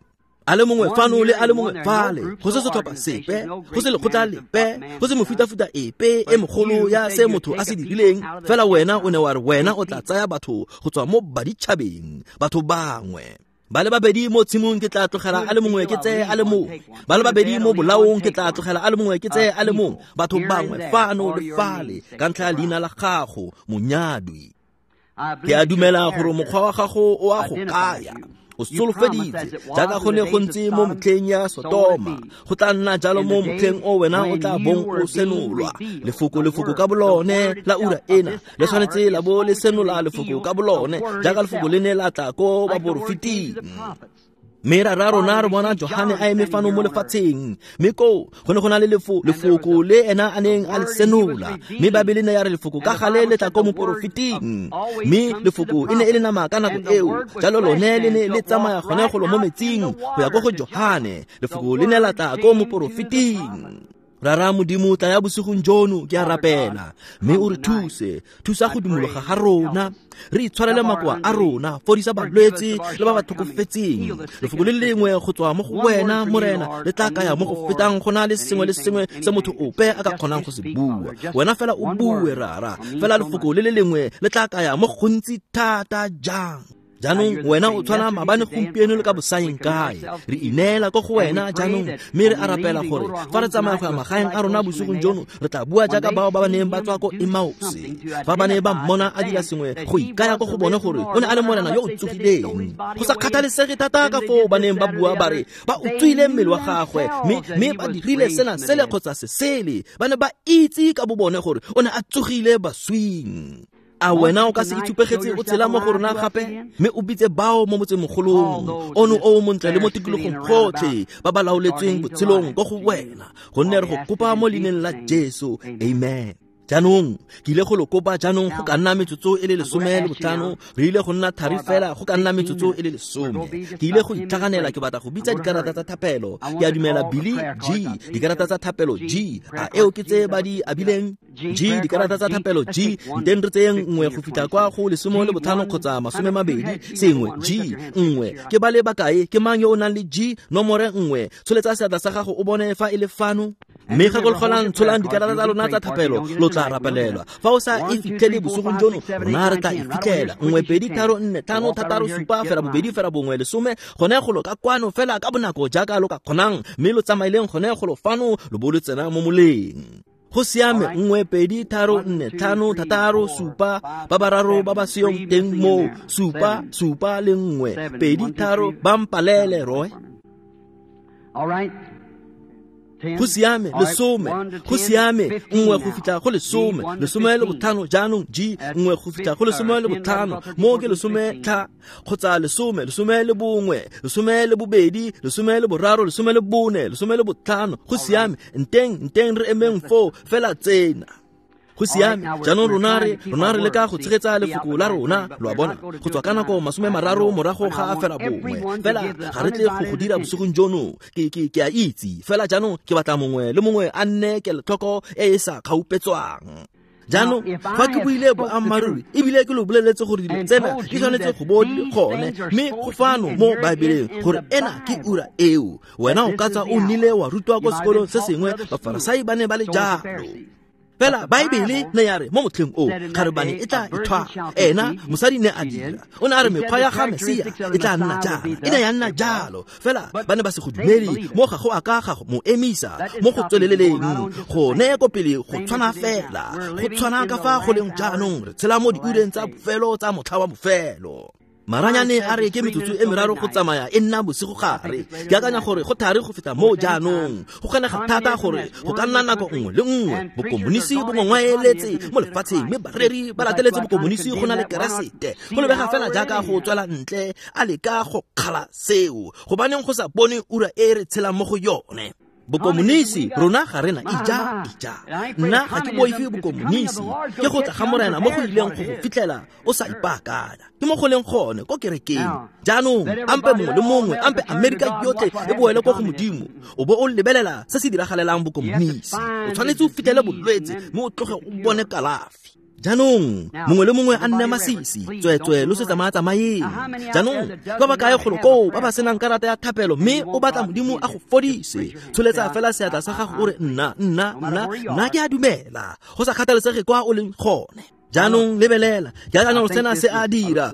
A le mongwe fano le a le mongwe fale, go se setlhopha sepe, go se lekgotla lepe, go se mofutafuta epe e mogolo ya se motho a se dirileng. Fela wena o ne wa re wena o tla tsaya batho go tswa mo baditšhabeng, batho bangwe. Ba le babedi mo tshimong ke tla tlogela a le mongwe ke tseye a le mongwe. Ba le babedi mo bolaong ke tla tlogela a le mongwe ke tseye a le mongwe. Batho bangwe fano le fale ka ntlha ya leina la gago, monyadwi. Ke a dumela gore mokgwa wa gago o a go kaya. O solofeditse jaaka go ne go ntse mo motlheng ya Sotoma, go tla nna jalo mo motlheng o wena o tla bong o senolwa. Lefoko lefoko ka bolone la ura ena le tshwanetse la bo le senola lefoko ka bolone jaaka lefoko le ne la tla ko baporofeting. Mme rara rona re bona Johane a eme fano mo lefatsheng, mme koo go ne go na le lefo lefoko le ena a neng a le senola. Mme Baebele ne ya re lefoko ka gale le tla ko moporofeting, mme lefoko e ne e le nama ka nako eo, jalo lone le ne le tsamaya gone golo mo metsing go ya ko go Johane. Lefoko le ne la tla ko moporofeting. Rara Modimo, tla ya bosigong jono, ke a rapela, mme o re thuse, thusa go dumologa ga rona, re itshwarele makoa a rona, fodisa balwetse le ba ba tlhokofetseng. Lefoko le lengwe go tswa mo go wena, Morena, le tla kaya mo go fetang go na le sengwe le sengwe se motho ope a ka kgonang go se bua. Wena fela o bue, rara, fela lefoko le le lengwe le tla kaya mo gontsi thata jang. Jaanong wena o tshwana maabane, gompieno le ka bosaeng kae. Re ineela ko go wena jaanong, mme re a rapela gore fa re tsamaya go ya magaeng a rona bosigong jono, re tla bua jaaka bao ba ba neng ba tswa ko Emause. Fa ba ne ba mmona a dira sengwe go ikaya ko go bone gore o ne a le Morena yo o tsogileng, go sa kgathalesege thata ka foo ba neng ba bua ba re ba utswile mmele wa gagwe, mme mme ba dirile sena sele kgotsa se sele, ba ne ba itse ka bo bone gore o ne a tsogile baswing. A wena o ka se itshupegetse o tshela mo go rona gape, mme o bitse bao mo motsemogolong ono o o montle le mo tikologong gotlhe ba ba laoletsweng botshelong ko go wena, gonne re go kopa mo leineng la Jesu, amen. Jaanong ke ile go lo kopa jaanong go ka nna metsotso e le lesome le botlhano, re ile go nna thari fela go ka nna metsotso e le lesome. Ke ile go itlhaganela, ke batla go bitsa dikarata tsa thapelo. Ke a dumela Billy G, dikarata tsa thapelo G, a eo ke tse ba di abileng G, dikarata tsa thapelo G, nteng re tseyeng nngwe go fitlha kwa go lesome le botlhano kgotsa masome mabedi sengwe G nngwe. Ke ba le bakae? Ke mang yo o nang le G nomore nngwe? Tsholetsa seatla sa gago o bone fa e le fano. Mme gakologelang, tsholang dikarata tsa lona tsa thapelo, lo tla rapelelwa. Fa o sa e fitlhele bosigong jono, rona re tla e fitlhela. Nngwe pedi tharo nne tlhano thataro supa fela bobedi fela bongwe lesome, gone golo ka kwano fela ka bonako jaaka lo ka kgonang, mme lo tsamaileng gone golo fano lo bo lo tsena mo moleng. Go siame, nngwe pedi tharo nne tlhano thataro supa, ba bararo ba ba seyong teng moo, supa supa le nngwe pedi tharo, ba mpalele roe. Go siame, lesome, go siame, nngwe go fitlha go lesome, lesome le botlhano jaanong G, nngwe go fitlha go lesome le botlhano, mo ke lesome tlha kgotsa lesome, lesome le bongwe, lesome le bobedi, lesome le boraro, lesome le bone, lesome le botlhano. Go siame, nteng nteng re emeng foo fela tsena. Go siame, jaanong rona re rona re leka go tshegetsa lefoko la rona, lo a bona, go tswa ka nako masome mararo morago ga a fela bongwe. Fela ga re tle go go dira bosigong jono, ke ke ke a itse. Fela jaanong ke batla mongwe le mongwe a nne kelotlhoko e e sa kgaupetswang. Jaanong fa ke buile boammaaruri ebile ke lo boleletse gore dilo tsena di tshwanetse go bo di le gone, mme go fano mo Baebeleng gore ena ke ura eo. Wena o ka tswa o nnile wa rutwa ko sekolong se sengwe, Bafarasai ba ne ba le jalo. Fela Baebele ne ya re mo motlheng o kgarebane e tla ithwala. Ena mosadi ne a dira, o ne a re mekgwa ya ga Mesia e tla nna jalo, e ne ya nna jalo. Fela ba ne ba se go dumele, mo ga go a ka ga mo emisa mo go tsweleleleng go ne ko pele go tshwana fela, go tshwana ka fa go leng jaanong. Re tshela mo diureng tsa bofelo tsa motlha wa bofelo. Maranyane a re ke metsotso e meraro go tsamaya e nna bosigo gare. Ke akanya gore go thari go feta moo jaanong. Go kgonega thata gore go ka nna nako nngwe le nngwe bokomonisi bo ngongwaeletse mo lefatsheng, mme bareri ba lateletse bokomonisi go na le Keresete. Go lebega fela jaaka go tswela ntle a leka go kgala seo, gobaneng go sa bone ura e re tshelang mo go yone. Bokomonisi rona ga rena ija ija. Nna ga ke boife bokomonisi, ke go tla ga Morena mo go ileng go go fitlhela o sa ipaakanya. Ke mo go leng gone ko kerekeng. Jaanong ampe mongwe le mongwe, ampe Amerika yotlhe e boele ko go Modimo, o bo o lebelela se se diragalelang bokomonisi. O tshwanetse o fitlhele bolwetse mme o tloge o bone kalafi. Jaanong mongwe le mongwe a nne masisi, tsweetswe lo se tsamaya-tsamayeng. Jaanong ba ba kae golo koo ba ba senang karata ya thapelo mme o batla Modimo a go fodise, tsholetsa fela seatla sa gago o re nna nna nna nna ke a dumela, go sa kgathalesege kwa o leng gone. Jaanong lebelela, ke akanya gore sena se a dira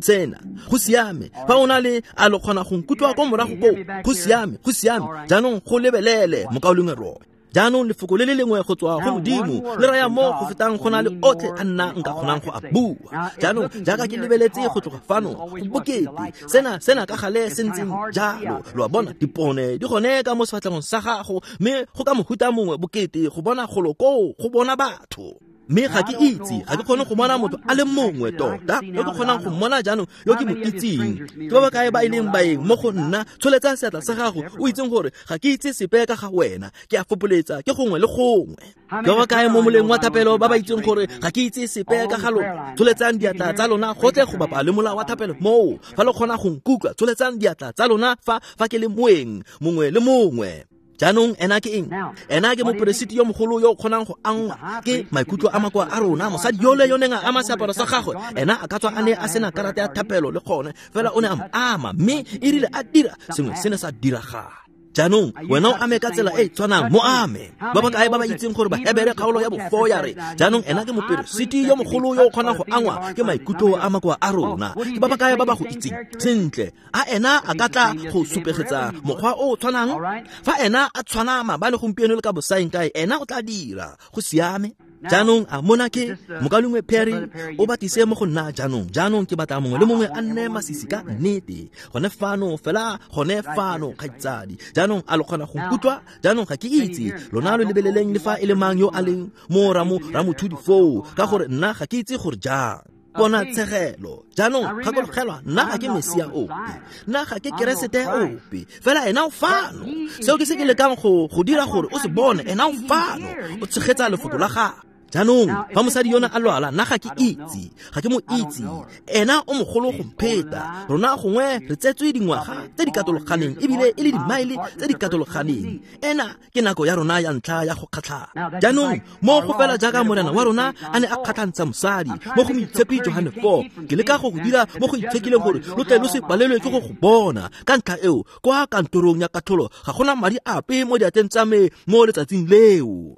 sena go siame. Fa o na le a lo kgona go nkutlwa ko morago koo, go siame, go siame. Jaanong go lebelele mokaulengwe Roy. Jaanong lefoko le le lengwe go tswa go Modimo le raya mo go fetang go na le otlhe a nna nka kgonang go a bua. Jaanong jaaka ke lebeletse go tloga fano go bokete sena sena ka gale se ntseng jalo. Lo a bona, dipone di gone ka mo sefatlhegong sa gago, mme go ka mohuta mongwe bokete go bona golo koo, go bona batho. Mme ga ke itse, ga ke kgone go bona motho a le mongwe tota yo ke kgonang go mmona jaanong yo ke mo itseng. Ke ba ba kae ba e leng baeng mo go nna? Tsholetsa seatla sa gago o itseng gore ga ke itse sepe ka ga wena, ke a fopoletsa ke gongwe le gongwe. Ke ba ba kae mo moleng wa thapelo ba ba itseng gore ga ke itse sepe ka ga lona? Tsholetsang diatla tsa lona gotlhe go bapa le mola wa thapelo moo. Fa lo kgona go nkutlwa, tsholetsang diatla tsa lona fa fa ke le moeng mongwe le mongwe. Jaanong ena ke eng? Ena ke moperesiti yo mogolo yo o kgonang go angwa ke maikutlo a makoa a rona. Mosadi yole yo neng a ama seaparo sa gagwe, ena a ka tswa a ne a sena karata ya thapelo le gone, fela o ne a mo ama, mme e rile a dira sengwe se ne sa diragala. Jaanong wena o ame ka tsela e e tshwanang, mo ame. Ba ba kae ba ba itseng gore Bahebere kgaolo ya bofo ya re jaanong ena ke moperesiti yo mogolo yo o kgonang go angwa ke maikutlo a makoa a rona? Ke ba ba kae ba ba go itseng sentle? A ena a ka tla go supegetsa mokgwa o o tshwanang? Fa ena a tshwana maabane, gompieno le ka bosaeng kae, ena o tla dira. Go siame. Jaanong a mona ke mokaulengwe Perry o batise mo go nna jaanong. Jaanong ke batla mongwe le mongwe a nne masisi ka nnete gone fano fela, gone fano kgaitsadi. Jaanong a lo kgona go nkutlwa? Jaanong ga ke itse lona lo lebeleleng le fa e le mang yo a leng mo ramothudi foo, ka gore nna ga ke itse gore jang. Bona tshegelo. Jaanong gakologelwa, nna ga ke Mesia ope, nna ga ke Keresete ope, fela ena o fano. Seo ke se ke lekang go go dira gore o se bone. Ena o fano, o tshegetsa lefoko la gagwe. Jaanong fa mosadi yona a lwala, nna ga ke itse, ga ke mo itse. Ena o mogolo go mpheta. Rona gongwe re tsetswe dingwaga tse di katologaneng, ebile e le dimaele tse di katologaneng. Ena ke nako ya rona ya ntlha ya go kgatlhana. Jaanong mo go fela jaaka Morena wa rona a ne a kgatlhantsha mosadi mo go Moitshepi Johane four, ke leka go go dira mo go itshekileng gore lo tle lo se palelwe ke go go bona. Ka ntlha eo, kwa kantorong ya katlholo ga gona madi ape mo diatleng tsa me mo letsatsing leo.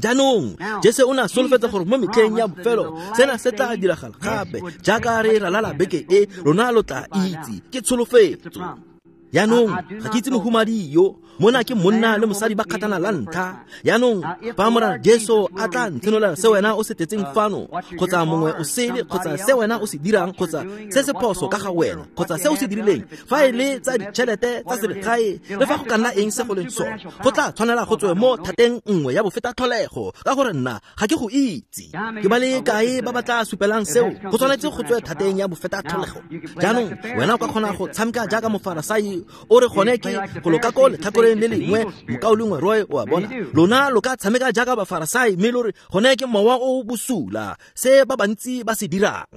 Jaanong Jesu o ne a solofetsa gore mo metlheng ya bofelo sena se tla diragala gape. Jaaka re ralala beke e, rona lo tla itse ke tsholofetso. Jaanong ga ke itse mohumadi yo, mona ke monna le mosadi ba kgatlhana la ntlha. Jaanong fa Morena Jesu a tla ntshenolela se wena o se tletseng fano, kgotsa mongwe o sele, kgotsa se wena o se dirang, kgotsa se se phoso ka ga wena, kgotsa se o se dirileng, fa e le tsa ditšhelete tsa selegae, le fa go ka nna eng se go leng sone, go tla tshwanela go tswe mo thateng nngwe ya bofetatlholego, ka gore nna ga ke go itse. Ke ba le kae ba ba tla supelang seo? Go tshwanetse go tswe thateng ya bofetatlholego. Jaanong wena o ka kgona go tshameka jaaka mofarasai o re gone ke go loka ko letlhakoreng le lengwe, mokaulengwe Roy, o a bona. Lona lo ka tshameka jaaka bafarasai mme lo re gone ke mowa o bosula, se ba bantsi ba se dirang.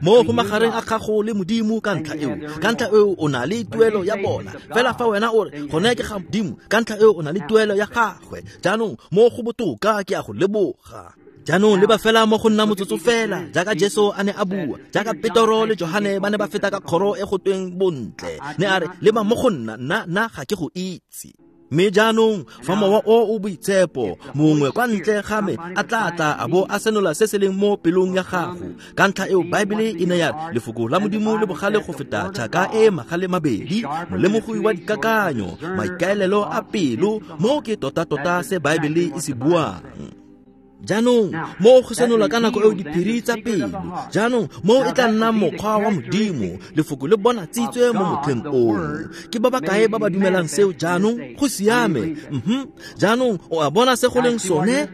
Mo go magareng a gago le Modimo ka ntlha eo, ka ntlha eo o na le tuelo ya bona. Fela fa wena o re gone ke ga Modimo, ka ntlha eo o na le tuelo ya gagwe. Jaanong mo go botoka ke a go leboga. Jaanong leba fela mo go nna motsotso fela, jaaka Jesu a ne a bua, jaaka Petoro le Johane ba ne ba feta ka kgoro e go tweng bontle, ne a re leba mo go nna, nna nna ga ke go itse. Mme jaanong fa mowa o o boitshepo mongwe kwa ntle ga me a tla tla a bo a senola se se leng mo pelong ya gago. Ka ntlha eo Baebele e ne ya re lefoko la Modimo le bogale go feta tšhaka e magale mabedi, molemogi wa dikakanyo, maikaelelo a pelo, mo ke tota-tota se Baebele e se buang. Jaanong mo go senola ka nako eo diphiri tsa pelo. Jaanong mo e tla nna mokgwa wa Modimo, lefoko le bonatsitswe mo motlheng ono. Ke ba ba kae ba ba dumelang seo jaanong? Go siame. Mhm. Jaanong o a bona se go leng sone?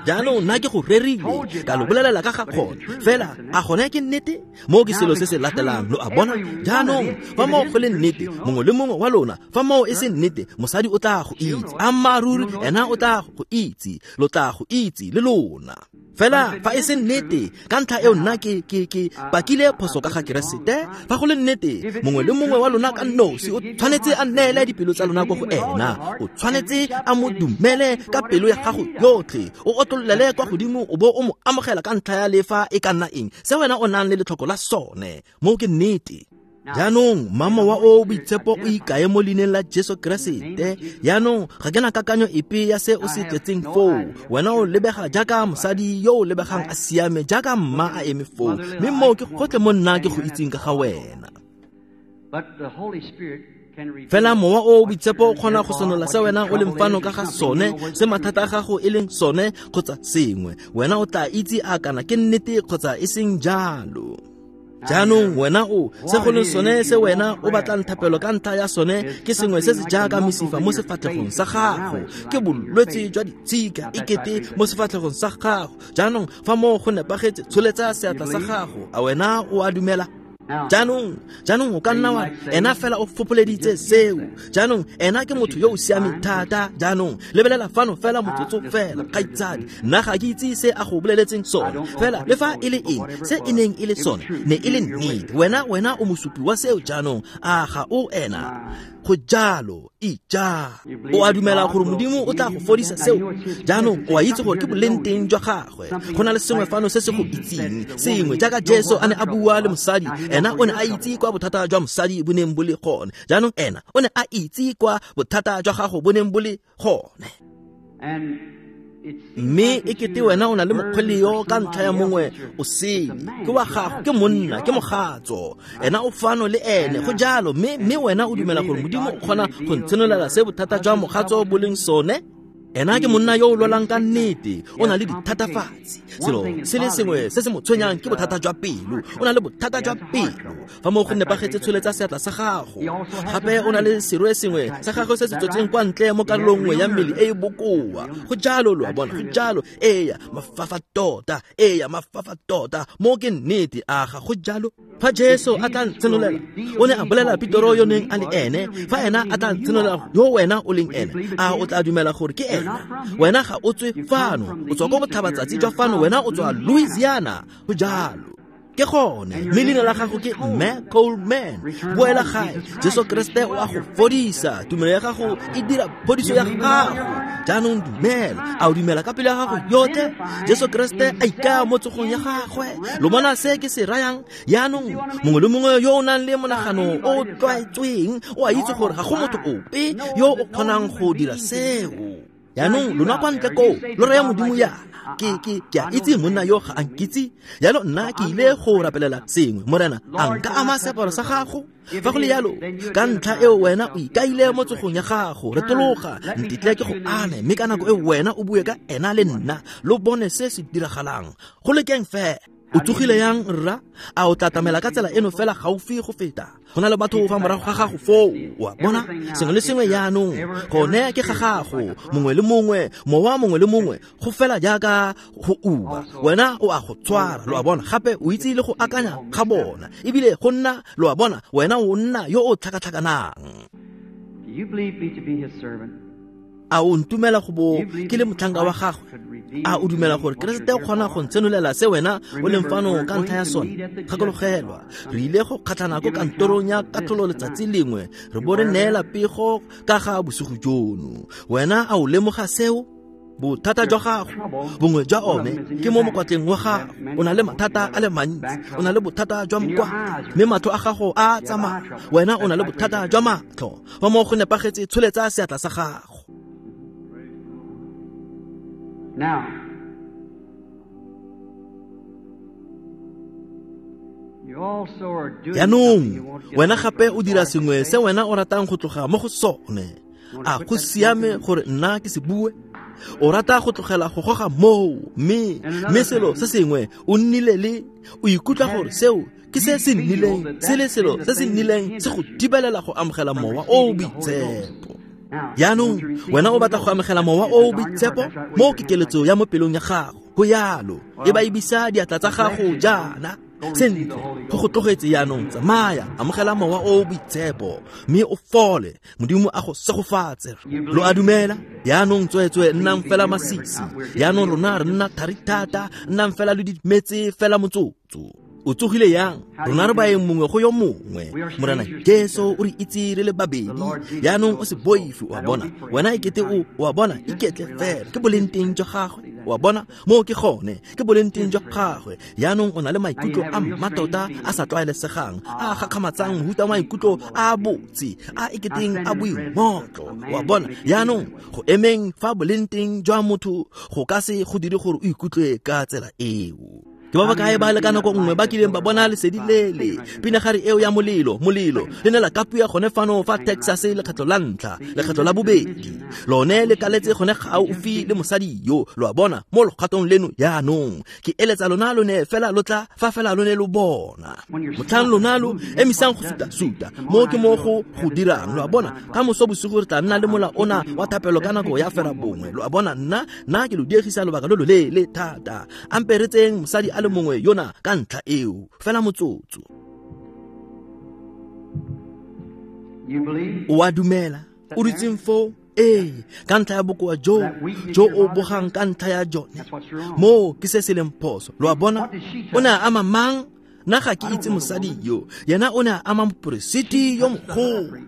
Jaanong nna ke go rerile, ka lo bolelela ka ga gone. Fela a gone ke nnete? Mo ke selo se se latelang, lo a bona? Jaanong fa moo go le nnete, mongwe le mongwe wa lona, fa moo e se nnete, mosadi o tla go itse. Ammaaruri ena o tla go itse, lo tla go itse le lona. Fela fa e se nnete, ka ntlha eo nna ke ke ke pakile phoso ka ga Keresete. Fa go le nnete, mongwe le mongwe wa lona ka nosi o tshwanetse a neele dipelo tsa lona ko go ena. O tshwanetse a mo dumele ka pelo ya gago yotlhe. O otlolele kwa godimo o bo o mo amogela ka ntlha ya lefa e ka nna eng se wena o nang le letlhoko la sone. Mo ke nnete. Jaanong mama wa o boitshepo o ikae mo leineng la Jesu Keresete. Jaanong ga ke na kakanyo epe ya se o se tletseng foo. Wena o lebega jaaka mosadi yo o lebegang a siame, jaaka mma a eme foo, mme moo ke gotlhe mo nna ke go itseng ka ga wena. Fela mowa o boitshepo o kgona go senola se wena o leng fano ka ga sone, se mathata a gago e leng sone kgotsa sengwe. Wena o tla itse a kana ke nnete kgotsa e seng jalo. Jaanong wena o se go leng sone se wena o batlang thapelo ka ntlha ya sone ke sengwe se se jaaka mesifa mo sefatlhegong sa gago, ke bolwetse jwa ditshika e kete mo sefatlhegong sa gago. Jaanong fa moo go nepagetse, tsholetsa seatla sa gago. A wena o a dumela? Jaanong jaanong o ka nna wa ena fela o fopoleditse seo. Jaanong ena ke motho yo o siameng thata. Jaanong lebelela fano fela motsotso fela, kgaitsadi. Nna ga ke itse se a go boleletseng sone, fela le fa e le eng se e neng e le sone ne e le nnete. Wena wena o mosupi wa seo. Jaanong a ga o ena? Go jalo, ija. O a dumela gore Modimo o tla go fodisa seo? Jaanong o a itse gore ke boleng teng jwa gagwe. Go na le sengwe fano se se go itseng, sengwe jaaka Jesu a ne a bua le mosadi. Ena o ne a itse kwa bothata jwa mosadi bo neng bo le gone. Jaanong ena o ne a itse kwa bothata jwa gago bo neng bo le gone. Mme e kete wena o na le mokgweleo ka ntlha ya mongwe o sele, ke wa gago, ke monna, ke mogatso. Ena o fano le ene, go jalo. Mme mme wena o dumela gore Modimo o kgona go ntshenolela se bothata jwa mogatso bo leng sone? Ena ke monna yo o lwalang ka nnete, o na le dithatafatsi. Selo se le sengwe se se mo tshwenyang ke bothata jwa pelo. O na le bothata jwa pelo. Fa mo go nepagetse, tsholetsa seatla sa gago. Gape o na le serwe sengwe sa gagwe se se tswetseng kwa ntle mo karolong nngwe ya mmele e e bokoa. Go jalo, lo a bona, go jalo. Eya, mafafa tota, eya, mafafa tota. Mo ke nnete, a ga go jalo? Fa Jesu a tla ntshenolela, o ne a bolela Petero yo neng a le ene. Fa ena a tla ntshenolela yo wena o leng ene, a o tla dumela gore ke ene? Wena ga o tswe fano, o tswa ko botlhabatsatsi jwa fano, wena o tswa Louisiana. Go jalo. Ke gone, mme leina la gago ke Mme Coleman. Boela gae, Jesu Keresete o a go fodisa. Tumelo ya gago e dira phodiso ya gago. Jaanong dumela. A o dumela ka pelo ya gago yotlhe? Jesu Keresete a ikaya mo tsogong ya gagwe. Lo bona se ke se rayang? Jaanong mongwe le mongwe yo o nang le monagano o tlwaetsweng o a itse gore ga go motho ope yo o kgonang go dira seo. Jaanong lona kwa ntle koo lo raya Modimo yana, ke ke ke a itse monna yo ga a nkitse, jalo nna ke ile go rapelela sengwe. Morena, a nka ama seaparo sa gago? Fa go le jalo, ka ntlha eo wena o ikaile mo tsogong ya gago. Retologa, ntetle ke go ame, mme ka nako eo wena o bue ka ena le nna, lo bone se se diragalang. Go lekeng fela. O tsogile yang rra? A o tla tlamela ka tsela eno fela gaufi go feta? Go na le batho fa morago ga gago foo, wa bona? Sengwe le sengwe jaanong gone ke ga gago, mongwe le mongwe, mowa mongwe le mongwe, go fela jaaka go uba. Wena o a go tshwara, lo a bona? Gape o itse le go akanya ga bona, ebile go nna, lo a bona, wena o nna yo o tlhakatlhakanang. A o ntumela go bo ke le motlhanka wa gagwe? A o dumela gore Keresete o kgona go ntshenolela se wena o leng fano ka ntlha ya sone? Gakologelwa, re ile go kgatlhana ko kantorong ya katlholo letsatsi lengwe, re bo re neela pego ka ga bosigo jono. Wena a o lemoga seo? Bothata jwa gago, bongwe jwa one ke mo mokwatleng wa gago. O na le mathata a le mantsi, o na le bothata jwa mokwatla, mme matlho a gago a tsamaya. Wena o na le bothata jwa matlho. Fa mo go nepagetse, tsholetsa seatla sa gago. Now, you also are doing Jaanong wena gape o dira sengwe se wena o ratang go tloga mo go sone. A go siame gore nna ke se bue? O rata go tlogela go goga moo, mme mme selo se sengwe o nnile le o ikutlwa gore seo ke se se nnileng se le selo se se nnileng se go thibelela go amogela mowa o o boitshepo. Jaanong wena o batla go amogela mowa o o boitshepo, mo ke keletso ya mo pelong ya gago. Go yalo e ba ebisa diatla tsa gago jaana. Sentle, go go tlogetse jaanong, tsamaya, amogela mowa o o boitshepo mme o fole. Modimo a go segofatse. Lo a dumela? Jaanong tsweetswe nnang fela masisi. Jaanong rona re nna thari thata, nnang fela lo dimetse fela motsotso. O tsogile yang? Rona re baeng mongwe go yo mongwe. Morena Jesu o re itse re le babedi. Jaanong o se boife, o a bona. Wena ekete o, o a bona, iketle fela. Ke boleng teng jwa gagwe. O a bona, moo ke gone, ke boleng teng jwa gagwe. Jaanong o na le maikutlo a mmatota a sa tlwaelesegang, a a gakgamatsang, mohuta wa maikutlo a botse, a eketeng a boingotlo. O a bona, jaanong go emeng fa boleng teng jwa motho go ka se go dire gore o ikutlwe ka tsela eo. Ke ba bakae ba le ka nako nngwe ba kileng ba bona lesedi lele, pinagare eo ya molelo, molelo le ne la kapua gone fano fa Texas lekgetlo la ntlha, lekgetlo la bobedi. Lone le kaletse gone gaufi le mosadi yo, lo a bona, mo logatong leno jaanong. Ke eletsa lona lone fela lo tla fa fela lone lo bona. Motlhang lona lo emisang go suta-suta, mo ke mo go go dirang, lo a bona. Ka moso bosigo re tla nna le mola ona wa thapelo ka nako ya fera bongwe, lo a bona. Nna nna ke lo diegisa lobaka lo loleele thata. Ampe re tseng mosadi a le mongwe yona ka ntlha eo fela motsotso. O a dumela? O dutseng foo? Ee, ka ntlha ya bokoa jo jo o bogang ka ntlha ya jone, moo ke se se leng phoso. Lo a bona? O ne a ama mang? Nna ga ke itse mosadi yo. Yena o ne a ama moporesiti yo mogolo.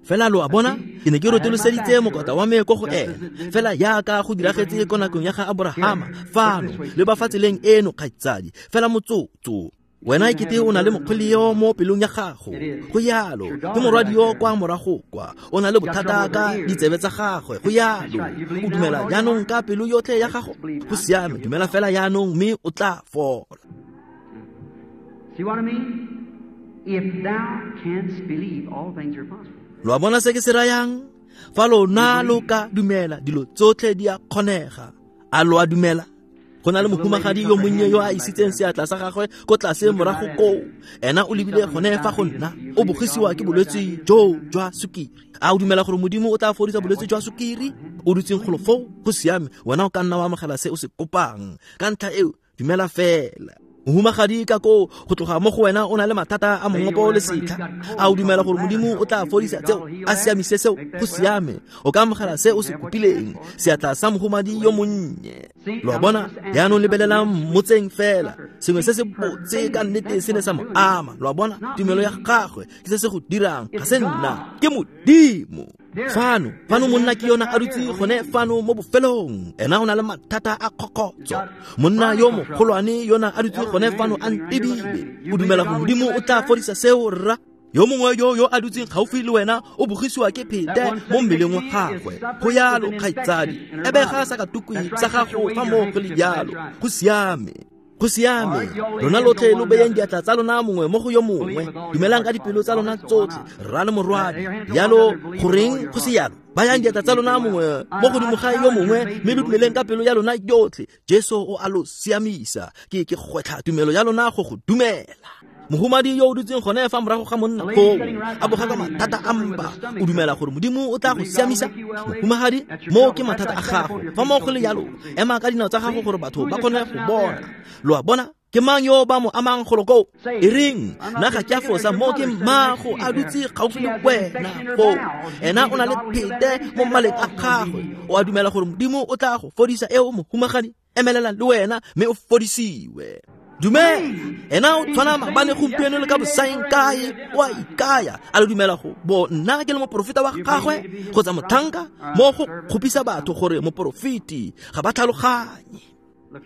Fela lo a bona, ke ne ke rotoloseditse mokota wa me ko go ena, fela jaaka go diragetse ko nakong ya ga Aborahama fano le ba fa tseleng eno, kgaitsadi. Fela motsotso, wena ekete o na le mokgweleo mo pelong ya gago. Go yalo, ke morwadi yo kwa morago kwa, o na le bothata ka ditsebe tsa gagwe. Go yalo, o dumela jaanong ka pelo yotlhe ya gago? Go siame, dumela fela jaanong mme o tla fola. See what I mean? If thou canst believe, all things are possible. Lo a bona se ke se rayang? Fa lona lo ka dumela, dilo tsotlhe di a kgonega. A lo a dumela? Go na le mohumagadi yo monnye yo a isitseng seatla sa gagwe ko tlase morago koo. Ena o lebile gone fa go nna, o bogisiwa ke bolwetse jo jwa sukiri. A o dumela gore Modimo o tla fodisa bolwetse jwa sukiri? O dutseng golo foo, go siame, wena o ka nna wa amogela se o se kopang. Ka ntlha eo, dumela fela. Mohumagadi ka koo go tloga mo go wena o na le mathata a mongopo le setlha. A o dumela gore Modimo o tla fodisa tseo, a siamise seo? Go siame, o ka amogela se o se kopileng. Seatla sa mohumadi yo monnye. Lo a bona? Jaanong lebelelang motseng fela, sengwe se se botse ka nnete se ne sa mo ama. Lo a bona? Tumelo ya gagwe ke se se go dirang, ga se nna, ke Modimo. Fano, fano monna ke yona a dutse gone fano mo bofelong. Ena o na le mathata a kgokgotso. Monna yo mogolwane yona a dutse gone fano a ntebile. O dumela gore Modimo o tla fodisa seo, rra? Yo mongwe yo yo a dutseng gaufi le wena o bogisiwa ke phete mo mmeleng wa gagwe. Go yalo, kgaitsadi, ebega sakatukwi sa gago fa mo go le jalo. Go siame. Go siame. Lona lotlhe lo beyeng diatla tsa lona mongwe mo go yo mongwe. Dumelang ka dipelo tsa lona tsotlhe, rra le morwadi. Jalo goreng go se yalo? Bayang diatla tsa lona mongwe mo godimo ga yo mongwe, mme lo dumeleng ka pelo ya lona yotlhe. Jesu o a lo siamisa. Ke ke gwetlha tumelo ya lona go go dumela. Mohumadi yo o dutseng gone fa morago ga monna foo, a boga ka mathata a mpa, o dumela gore Modimo o tla go siamisa? Mohumagadi, moo ke mathata a gago. Fa mo go le jalo, ema ka dinao tsa gago gore batho ba kgone go bona. Lo a bona? Ke mang yo ba mo amang golo koo? E reng, nna ga ke a fosa, mo ke mmago a dutse gaufi le wena foo. Ena o na le phete mo maleng a gagwe. O a dumela gore Modimo o tla go fodisa eo, mohumagadi? Emelela le wena mme o fodisiwe. Dumela, ena o tshwana maabane, gompieno le ka bosaeng kae, o a ikaya. A le dumela go bo nna ke le moporofeta wa gagwe kgotsa motlhanka? Mo go kgopisa batho gore moporofeti ga ba tlhaloganye.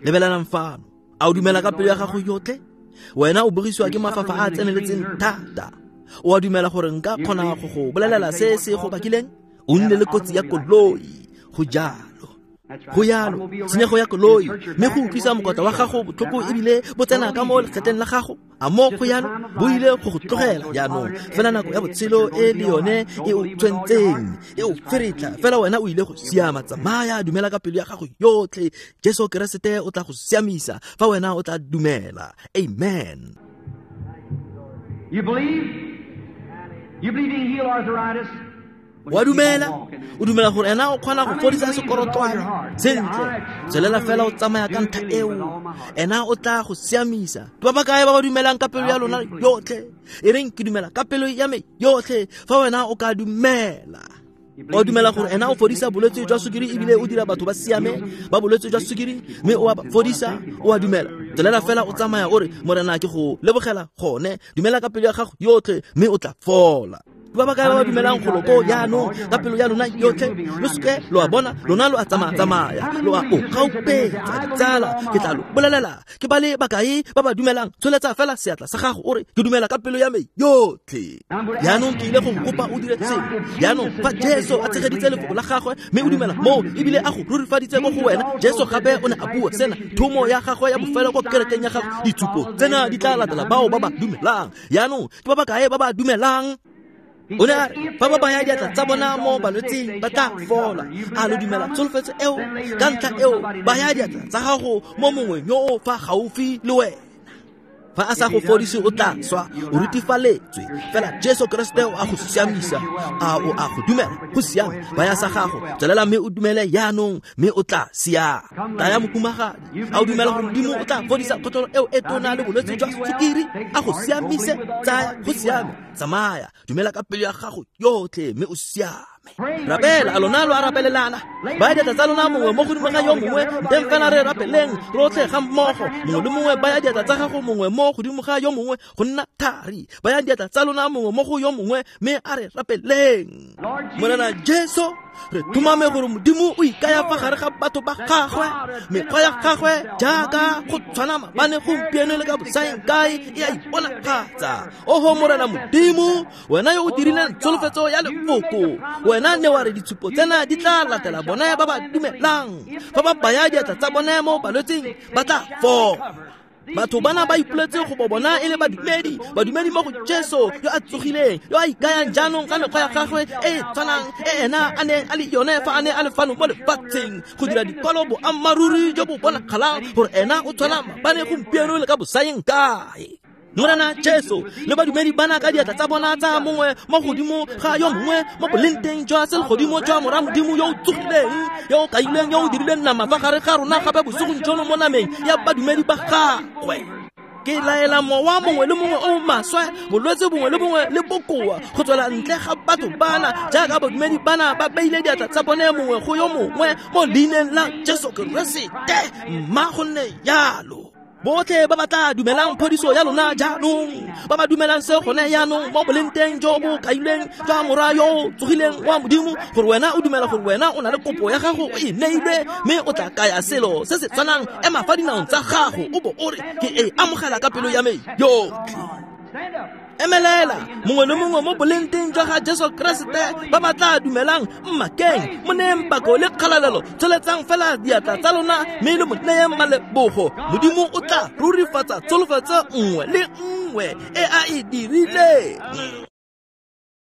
Lebelelang fano. A o dumela ka pelo ya gago yotlhe? Wena o bogisiwa ke mafafa a a tseneletseng thata. O a dumela gore nka kgona go go bolelela se se go bakileng? O nne le kotsi ya koloi. Go jalo. Go yalo tshenyego ya koloi mme go utlwisa mokotla wa gago botlhoko ebile bo tsena ka mo lekgetleng la gago a mo go yalo bo ile go go tlogela jaanong fela nako ya botshelo e le yone e o tshwentseng e o feretla fela wena o ile go siama. Tsamaya, dumela ka pelo ya gago yotlhe. Jesu Keresete o tla go siamisa fa wena o tla dumela. Amen. You believe? You believe he heal arthritis? Wa dumela? O dumela gore ena o kgona go fodisa sekorotwane? Sentle, tswelela fela o tsamaya ka ntlha eo, ena o tla go siamisa. Ke ba ba kae ba ba dumelang ka pelo ya lona yotlhe? E reng ke dumela ka pelo ya me yotlhe. Fa wena o ka dumela, o dumela gore ena o fodisa bolwetse jwa sukiri ebile o dira batho ba siame ba bolwetse jwa sukiri mme o a ba fodisa, o a dumela. Tswelela fela o tsamaya o re, Morena ke go lebogela gone. Dumela ka pelo ya gago yotlhe mme o tla fola. Ba ba kae ba ba dumelang go loko jaanong ka pelo ya lona yotlhe? Lo seke lo a bona, lona lo a tsamaya-tsamaya, lo a o gaupetsa ditsala. Ke tla lo bolelela, ke ba le bakae ba ba dumelang? Tsholetsa fela seatla sa gago o re, ke dumela ka pelo ya me yotlhe. Jaanong ke ile go kopa o dire sengwe. Jaanong fa Jesu a tshegeditse lefoko la gagwe mme o dumela moo ebile a go rurifaditse mo go wena, Jesu gape o ne a bua sena, thomo ya gagwe ya bofelo ko kerekeng ya gagwe, ditshupo tsena di tla latela bao ba ba dumelang. Jaanong ke ba ba kae ba ba dumelang? O ne a re fa ba baya diatla tsa bona mo balwetseng ba tla fola. A lo dumela tsholofetso eo? Ka ntlha eo baya diatla tsa gago mo mongwe yo o fa gaufi le wena. Fa a sa go fodise o tla swa, o rutifaletswe. Fela Jesu Keresete o a go siamisa. A o a go dumela? Go siame, baya sa gago, tswelela mme o dumele jaanong mme o tla siama. Taya mokumagadi, a o dumela gore Modimo o tla fodisa kgotlhelo eo e tona le bolwetse jwa sukiri? A go siamise? Tsaya, go siame, tsamaya, dumela ka pelo ya gago yotlhe mme o siame. Rapela, a lona lo a rapelelana. Baya diatla tsa lona mongwe mo godimo ga yo mongwe, nteng fela re rapeleng rotlhe ga mmogo. Mongwe le mongwe baya diatla tsa gago mongwe mo godimo ga yo mongwe go nna thari. Baya diatla tsa lona mongwe mo go yo mongwe mme a re rapeleng. Morena Jesu, re tumame gore Modimo o ikaya fa gare ga batho ba gagwe, mekgwa ya gagwe jaaka go tshwana maabane, gompieno le ka bosaeng kae e a iponagatsa. Oho Morena Modimo, wena yo o dirileng tsholofetso ya lefoko, wena ne wa re ditshupo tsena di tla latela bone ba ba dumelang. Fa ba baya diatla tsa bone mo balwetseng ba tla fola. Batho bana ba ipoletse go bo bona e le badumedi, badumedi mo go Jesu yo a tsogileng, yo a ikayang jaanong ka mekgwa ya gagwe e e tshwanang e ena a neng a le yone fa a ne a le fano mo lefatsheng, go dira dikwalo boammaaruri jo bo bonagalang gore ena o tshwana maabane, gompieno le ka bosaeng kae. Morena Jesu le badumedi bana ka diatla tsa bona tsa mongwe mo godimo ga yo mongwe mo bolenteng jwa selegodimo jwa Mora Modimo yo o tsogileng, yo o kaileng, yo o dirileng nama fa gare ga rona gape bosigong jono mo nameng ya badumedi ba gagwe. Ke laela mowa mongwe le mongwe o maswe, bolwetse bongwe le bongwe le bokoa go tswela ntle ga batho bana jaaka badumedi bana ba beile diatla tsa bone mongwe go yo mongwe mo leineng la Jesu Keresete. Mma go nne jalo. Botlhe ba ba tla dumelang phodiso ya lona jaanong, ba ba dumelang se gone jaanong mo bolenteng jo bo kailweng jwa Mora yo o tsogileng wa Modimo, gore wena o dumela gore wena o na le kopo ya gago o e neilwe mme o tla kaya selo se se tshwanang, ema fa dinaong tsa gago o bo o re, ke e amogela ka pelo ya me yotlhe. Emelela mongwe le mongwe mo bolenteng jwa ga Jesu Keresete ba ba tla dumelang, mmakeng, mo neyeng pako le kgalalelo, tsholetsang fela diatla tsa lona mme le mo neyeng malebogo. Modimo o tla rurifatsa tsholofetso nngwe le nngwe e a e dirileng.